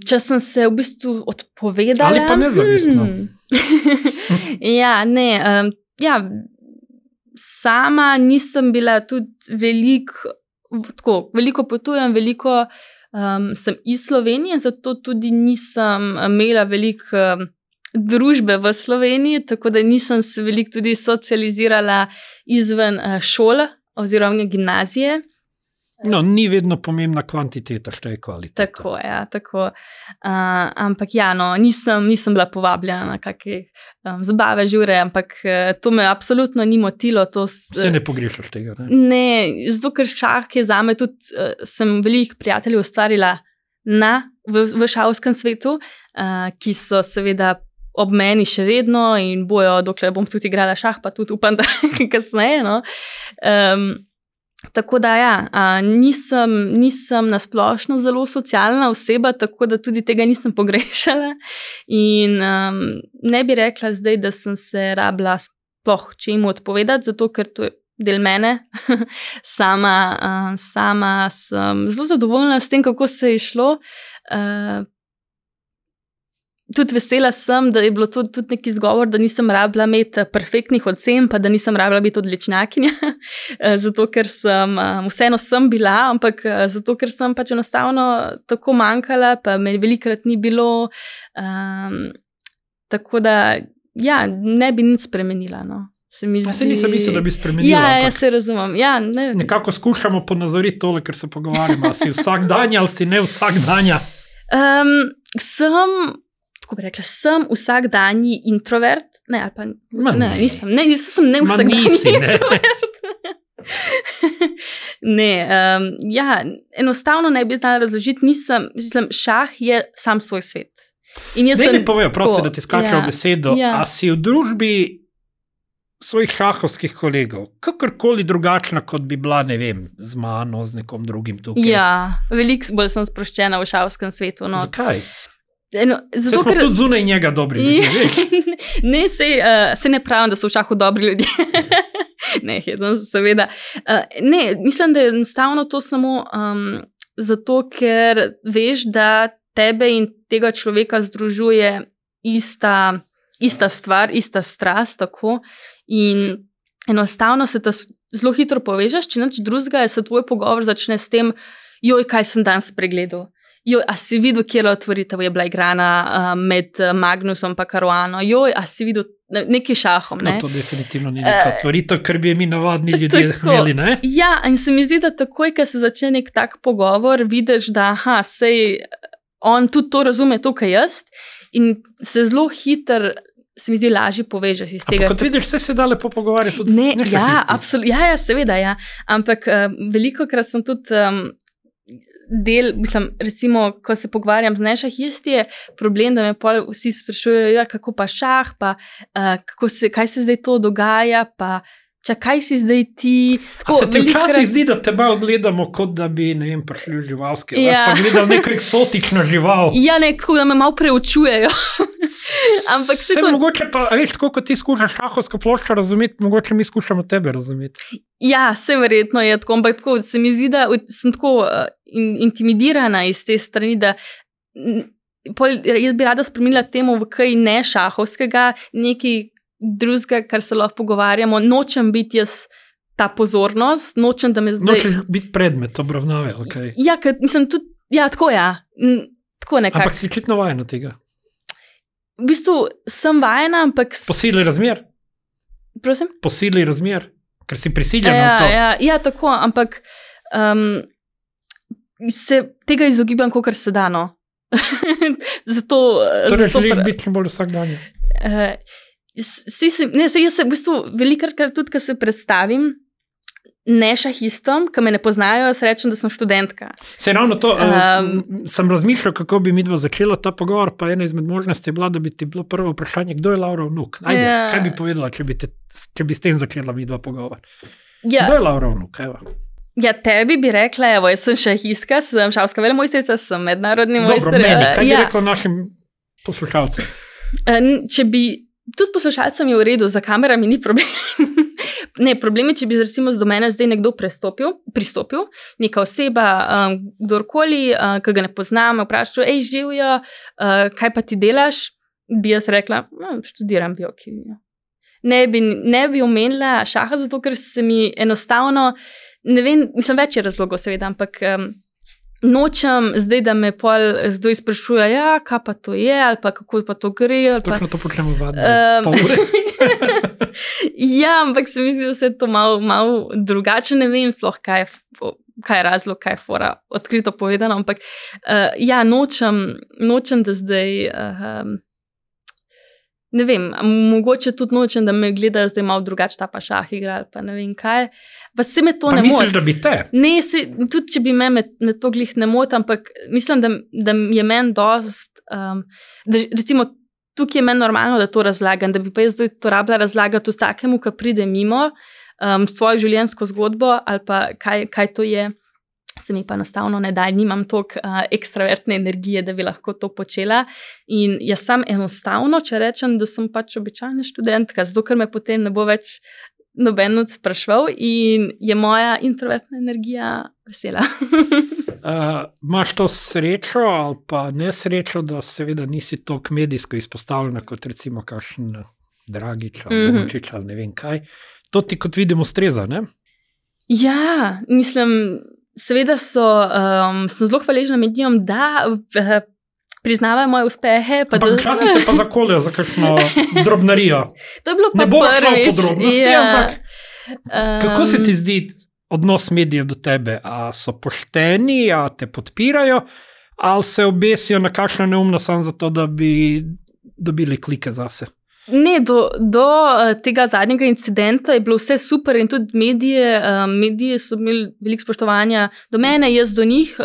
Če sem se v bistvu odpovedala... Ali pa nezavestno? Sama nisem bila tudi veliko potujem, veliko sem iz Slovenije, zato tudi nisem imela veliko družbe v Sloveniji, tako da nisem se veliko tudi socializirala izven šole oziroma gimnazije. No, ni vedno pomembna kvantiteta, šteje kvaliteta. Tako. Ampak nisem bila povabljena na kakšne zabave, žure, ampak to me absolutno ni motilo. Se ne pogrešaš tega, ne? Ne, zato ker šah je zame tudi, sem veliko prijateljev ustvarila v šahovskem svetu, ki so seveda ob meni še vedno in bojo, dokler bom tudi igrala šah, pa tudi upam, da kasneje, no. Tako da nisem nasplošno zelo socialna oseba, tako da tudi tega nisem pogrešala in ne bi rekla zdaj, da sem se rabila sploh čemu odpovedati, zato ker to je del mene. Sama sem zelo zadovoljna s tem, kako se je šlo. Tudi vesela sem, da je bilo to tudi neki izgovor, da nisem rabila imeti perfektnih ocen, pa da nisem rabila biti odličnjakinja, zato ker vseeno sem bila, ampak zato ker sem pač enostavno tako manjkala, pa me velikokrat ni bilo, tako da ne bi nič spremenila, no. Se nisem mislil, da bi spremenila. Ja, se razumem. Nekako skušamo ponazoriti tole, ker se pogovarjamo, si vsakdanja ali si ne vsakdanja? Tako bi rekla, sem vsakdanji introvert. Nisem ne vsakdanji introvert. Enostavno ne bi znala razložiti, šah je sam svoj svet. Ne povejo, prosti, da ti skačejo besedo, a si v družbi svojih šahovskih kolegov, kakorkoli drugačna, kot bi bila, ne vem, z mano, z nekom drugim tukaj? Ja, veliko bolj sem sproščena v šahovskem svetu. No. Zakaj? Zato, smo tudi zunaj njega dobri ljudje, veš? Ne, se ne pravim, da so v šahu dobri ljudje. Ne, seveda. Ne, mislim, da je enostavno to samo zato, ker veš, da tebe in tega človeka združuje ista stvar, ista strast, tako. In enostavno se ta zelo hitro povežeš, če nič drugega, se tvoj pogovor začne s tem, kaj sem danes pregledal. A si videl, kjera otvoritev je bila igrana med Magnusom pa Caruano? A si videl neki šahom, ne? No, to definitivno ni neka otvoritev, ker bi mi navadni ljudje imeli, ne? Ja, in se mi zdi, da takoj, ko se začne nek tak pogovor, vidiš, da sej on tudi to razume, to, kaj jaz, in se zelo hitro, se mi zdi, lažje povežeš iz tega. Ampak kot vidiš, vse se da lepo pogovarjati tudi z nešahistih. Seveda, ampak velikokrat sem tudi recimo, ko se pogovarjam z nešahisti, je problem, da me pol vsi sprašujejo, kako pa šah, pa kaj se zdaj to dogaja, pa kaj si zdaj ti. A se te včasih zdi, da te malo gledamo, kot da bi, ne vem, prišli v živalske, pa gledal neko eksotično žival. Ja, tako da me malo preučujejo. Ampak se to... Mogoče pa, veš, tako kot ti skušaš šahovsko ploščo razumeti, mogoče mi skušamo tebe razumeti. Ja, se verjetno je tako, ampak tako, se mi zdi, da sem tako intimidirana iz te strani, da jaz bi rada spremenila temu v kaj ne šahovskega, nekaj drugega, kar se lahko pogovarjamo. Nočem biti jaz ta pozornost, nočem, da me zdaj... Nočeš biti predmet obravnave, ali kaj? Ja, mislim tudi, tako nekako. Ampak si očitno vajena tega. V bistvu sem vajena, ampak... Po sili razmer? Prosim? Po sili razmer, ker si prisiljena v to. Ja, tako, ampak se tega izogibam, kakor se da, no. Zato želiš biti čim bolj vsakdanje. Jaz se v bistvu velikokrat tudi, ko se predstavim, ne šahistom, ki me ne poznajo, jaz rečem, da sem študentka. Se ravno to, sem razmišljal, kako bi midva začela ta pogovor, pa ena izmed možnosti je bila, da bi ti bilo prvo vprašanje, kdo je Laura Vnuk? Ajde, kaj bi povedala, če bi s tem začela midva pogovor? Kdo je Laura Vnuk? Ja, tebi bi rekla, evo, jaz sem šahistka, sem šahovska velemojstrica, sem mednarodni mojster. Dobro, meni, kaj bi rekla našim poslušalcem? Tudi poslušalcem je v redu, za kamerami ni problem. Ne, problem je, če bi recimo do mene zdaj nekdo pristopil, neka oseba, kdorkoli, ki ga ne poznam, vprašal, živijo, kaj pa ti delaš, bi jaz rekla, študiram biokemijo. Ne bi omenila šaha, zato ker se mi enostavno, ne vem, mislim, več je razlogov seveda, ampak nočem zdaj, da me pol zdaj sprašuje, kaj pa to je, ali pa kako pa to gre. Točno to počnemo zadnje pol ure. Ja, ampak se mi zdi, da vse to malo drugače, ne vem, kaj je razlog, kaj je fora, odkrito povedano, ampak nočem, da zdaj, ne vem, mogoče tudi nočem, da me gledajo zdaj malo drugače, ta pa šah igra, ali pa ne vem kaj, pa se me to ne moti. Pa misliš, da bi te? Ne, tudi če bi me to glih ne moti, ampak mislim, da je meni dost, da recimo tukaj je meni normalno, da to razlagam, da bi pa jaz zdaj to rabila razlagati vsakemu, ki pride mimo, svojo življenjsko zgodbo ali pa kaj to je, se mi pa enostavno ne da, nimam toliko ekstravertne energije, da bi lahko to počela in jaz sam enostavno, če rečem, da sem pač običajna študentka, zato ker me potem ne bo več noben spraševal in je moja introvertna energija vesela. Imaš to srečo ali pa nesrečo, da seveda nisi toliko medijsko izpostavljena kot recimo kakšen Dragič ali Dončić ali ne vem kaj. To ti kot vidim ustreza, ne? Ja, mislim, seveda sem zelo hvaležna medijem, da priznavajo moje uspehe. Včasih te pa zakoljejo za kakšno drobnarijo. To je bilo pa prvič. Ne bo šlo v podrobnosti, ampak kako se ti zdi odnos medijev do tebe? A so pošteni, a te podpirajo, ali se obesijo na kakšno neumno samo zato, da bi dobili klike zase? Ne, do tega zadnjega incidenta je bilo vse super in tudi mediji so imeli veliko spoštovanja do mene, jaz do njih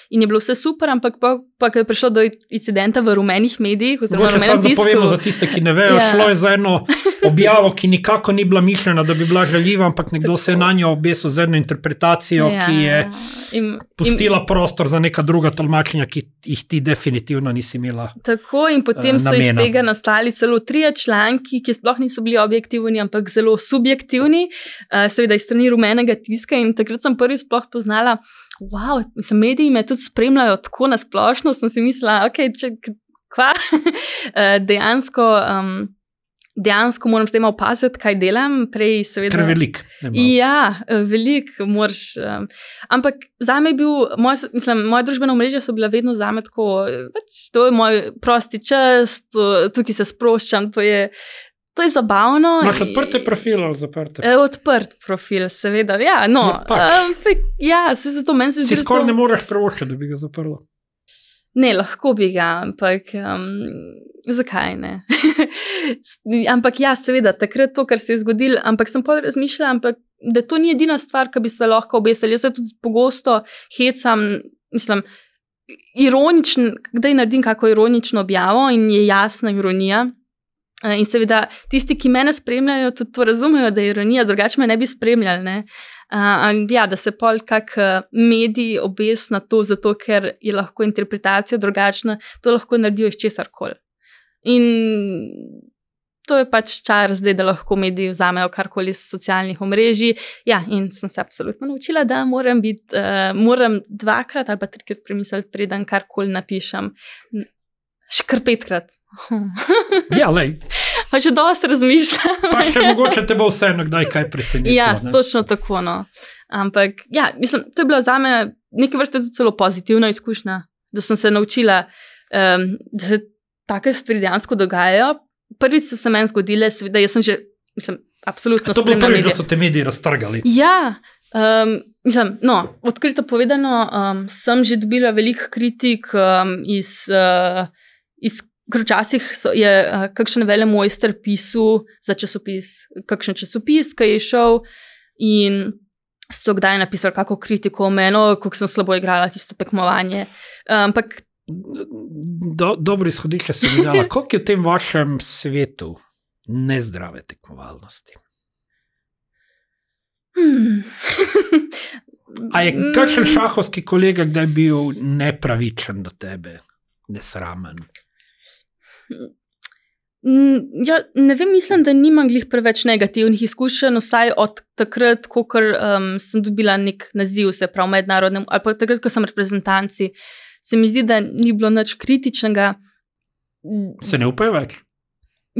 in je bilo vse super, ampak pa ko je prišlo do incidenta v rumenih medijih, oziroma rumenem tisku. Da povemo za tiste, ki ne vejo, šlo je za eno objavo, ki nikako ni bila mišljena, da bi bila žaljiva, ampak nekdo se je na njo obesil z eno interpretacijo, ki je pustila prostor za neka druga tolmačenja, ki jih ti definitivno nisi imela namena. Tako in potem so iz tega nastali celo 3 članki, ki sploh niso bili objektivni, ampak zelo subjektivni, seveda iz strani rumenega tiska in takrat sem prvi sploh poznala, wow, mislim, mediji me tudi spremljajo tako nasplošno, sem si mislila, kva? Dejansko moram s tem opaziti, kaj delam, prej seveda. Ker velik. Ja, velik moraš, ampak zame je bil, moje družbeno mreže so bila vedno zame tako, to je moj prosti čas, tukaj se sproščam, to je zabavno. Imaš odprte profile ali zaprte? Odprt profil, seveda, ja, no. Se zato meni se zdi, si skoraj ne moreš prevoščiti, da bi ga zaprla. Ne, lahko bi ga, ampak zakaj ne? Ampak ja, seveda, takrat to, kar se je zgodilo, ampak sem pa razmišljala, da to ni edina stvar, ki bi se lahko obesili. Jaz se tudi pogosto hecam, mislim, ironičen, kdaj naredim kako ironično objavo in je jasna ironija. In seveda, tisti, ki mene spremljajo, tudi to razumejo, da je ironija, drugače me ne bi spremljali, ne? Da se pol kak medij obes na to, zato ker je lahko interpretacija drugačna, to lahko naredijo iz česarkoli. In to je pač čar zdaj, da lahko mediji vzamejo karkoli iz socialnih omrežij. Ja, in sem se absolutno naučila, da moram 2-krat ali pa 3-krat premisliti, preden karkoli napišem. Še kar 5-krat. Ja, lej. Pa še dosti razmišljam. Pa še mogoče te bo vseeno kdaj kaj presenetilo. Ja, točno tako, no. Ampak, ja, mislim, to je bila zame neke vrste tudi celo pozitivna izkušnja, da sem se naučila, da se take stvari dejansko dogajajo. Prvič so se meni zgodile, seveda, jaz sem že, mislim, absolutno spremljala medije. To bilo prvič, da so te mediji raztrgali. Ja, mislim, no, odkrito povedano, sem že dobila veliko kritik iz ker včasih je kakšen velemojster pisal za časopis, kakšen časopis, ki je šel in so kdaj napisali kako kritiko o meni, kako sem slabo igrala tisto tekmovanje. Ampak dobro izhodišče se mi dala. Koliko je v tem vašem svetu nezdrave tekmovalnosti? A je kakšen šahovski kolega kdaj bil nepravičen do tebe, nesramen? Ja, ne vem, mislim, da nimam glih preveč negativnih izkušenj, vsaj od takrat, ko sem dobila nek naziv, se pravi mednarodnem, ali pa takrat, ko sem reprezentanci, se mi zdi, da ni bilo nič kritičnega. Se ne upajo več?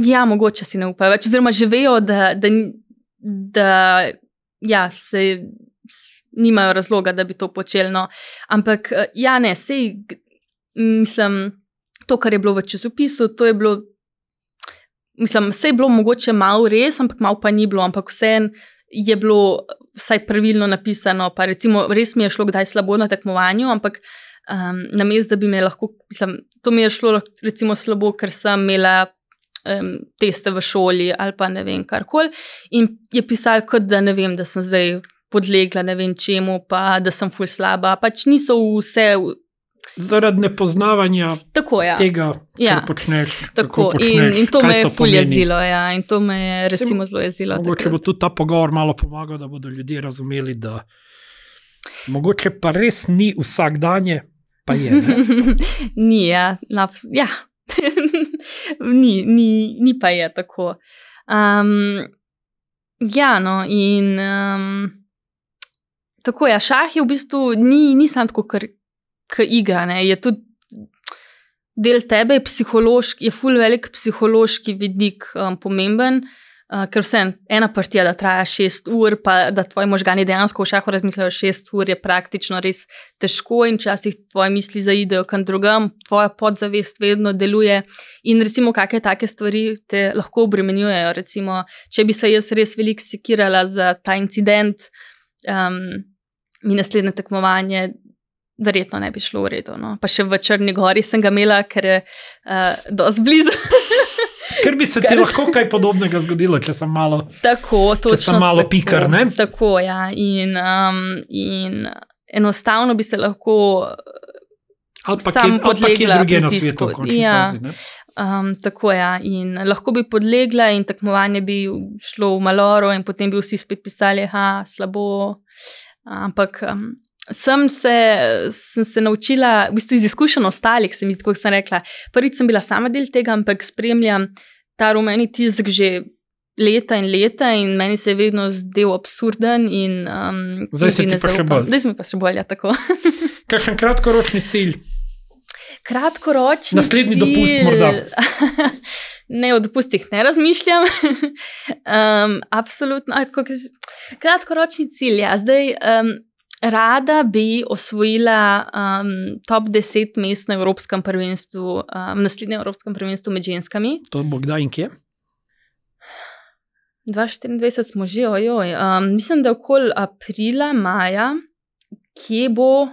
Ja, mogoče si ne upajo več, oziroma že vejo, da ja, se nimajo razloga, da bi to počeli, no. Ampak ja, ne, sej, mislim, to, kar je bilo v časopisu, to je bilo, mislim, vse je bilo mogoče malo res, ampak malo pa ni bilo, ampak vseeno je bilo vsaj pravilno napisano, pa recimo res mi je šlo kdaj slabo na tekmovanju, ampak namesto, da bi me lahko, mislim, to mi je šlo recimo slabo, ker sem imela teste v šoli ali pa ne vem, karkoli, in je pisalo kot, da ne vem, da sem zdaj podlegla ne vem čemu, pa da sem ful slaba, pač niso vse zaradi nepoznavanja tega, kar počneš. Tako, in to me je ful jezilo, ja, in to me je recimo zelo jezilo. Mogoče bo tudi ta pogovor malo pomagal, da bodo ljudje razumeli, da mogoče pa res ni vsak danje, pa je, ne? Ni, ja, ja. ni pa je tako. Ja, no, in tako, ja, šah je v bistvu, ni samo tako, kar igra, ne, je tudi del tebe, je ful velik psihološki vidik pomemben, ker ena partija, da traja 6 ur, pa da tvoji možgani dejansko v šahu razmislijo 6 ur, je praktično res težko in včasih tvoje misli zaidejo kam drugam, tvoja podzavest vedno deluje in recimo kakšne take stvari te lahko obremenjujejo, recimo, če bi se jaz res veliko sekirala za ta incident, mi naslednje tekmovanje verjetno ne bi šlo v redu, no. Pa še v Črni Gori sem ga imela, ker je dosti blizu. Ker bi se ti lahko kaj podobnega zgodilo, če sem malo, če sem malo pikar, ne? Tako, ja, in enostavno bi se lahko sam podlegla pritisku. Tako, ja, in lahko bi podlegla in tekmovanje bi šlo v maloro in potem bi vsi spet pisali, slabo, ampak sem se naučila, v bistvu iz izkušenj ostalih, tako sem rekla, prvič sem bila sama del tega, ampak spremljam ta rumeni tisk že leta in meni se je vedno zdel absurden in zdaj se ti pa še bolj. Zdaj se mi pa še bolj, ja, tako. Kakšen kratkoročni cilj? Kratkoročni naslednji dopust morda? Ne, o dopustih ne razmišljam. Absolutno. Kratkoročni cilj, ja. Zdaj rada bi osvojila top 10 mest na Evropskem prvenstvu, naslednjem Evropskem prvenstvu med ženskami. To bo kdaj in kje? 2024 smo že, ojoj. Mislim, da okoli aprila, maja, kje bo,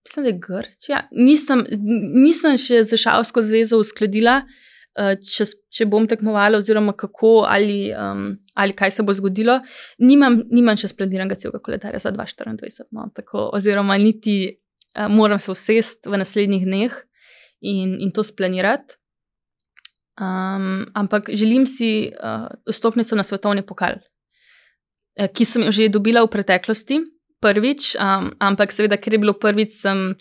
mislim, da je Grčija. Nisem še za šahovsko zvezo uskladila, če bom tekmovala oziroma kako ali kaj se bo zgodilo. Nimam še splaniranega celega koledarja za 2024, no, tako, oziroma niti moram se usesti v naslednjih dneh in to splanirati. Ampak želim si vstopnico na svetovni pokal, ki sem jo že dobila v preteklosti, prvič, ampak seveda, ker je bilo prvič, sem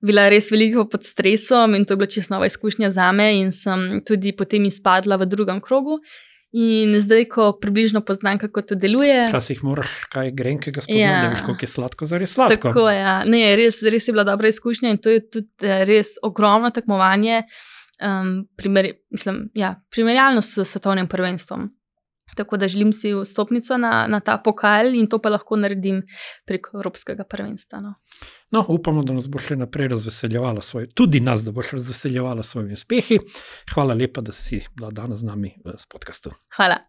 bila res veliko pod stresom in to je bila čisto nova izkušnja zame in sem tudi potem izpadla v drugem krogu. In zdaj, ko približno poznam, kako to deluje. Včasih moraš kaj grenkega spoznati, da veš, koliko je sladko, zares sladko. Tako, ja. Ne, res je bila dobra izkušnja in to je tudi res ogromno tekmovanje, primerjalno s svetovnim prvenstvom. Tako da želim si vstopnico na ta pokal in to pa lahko naredim preko Evropskega prvenstva. No, upamo, da nas bo še naprej razveseljevala tudi nas, da boš razveseljevala svojimi uspehi. Hvala lepa, da si bila danes z nami v podcastu. Hvala.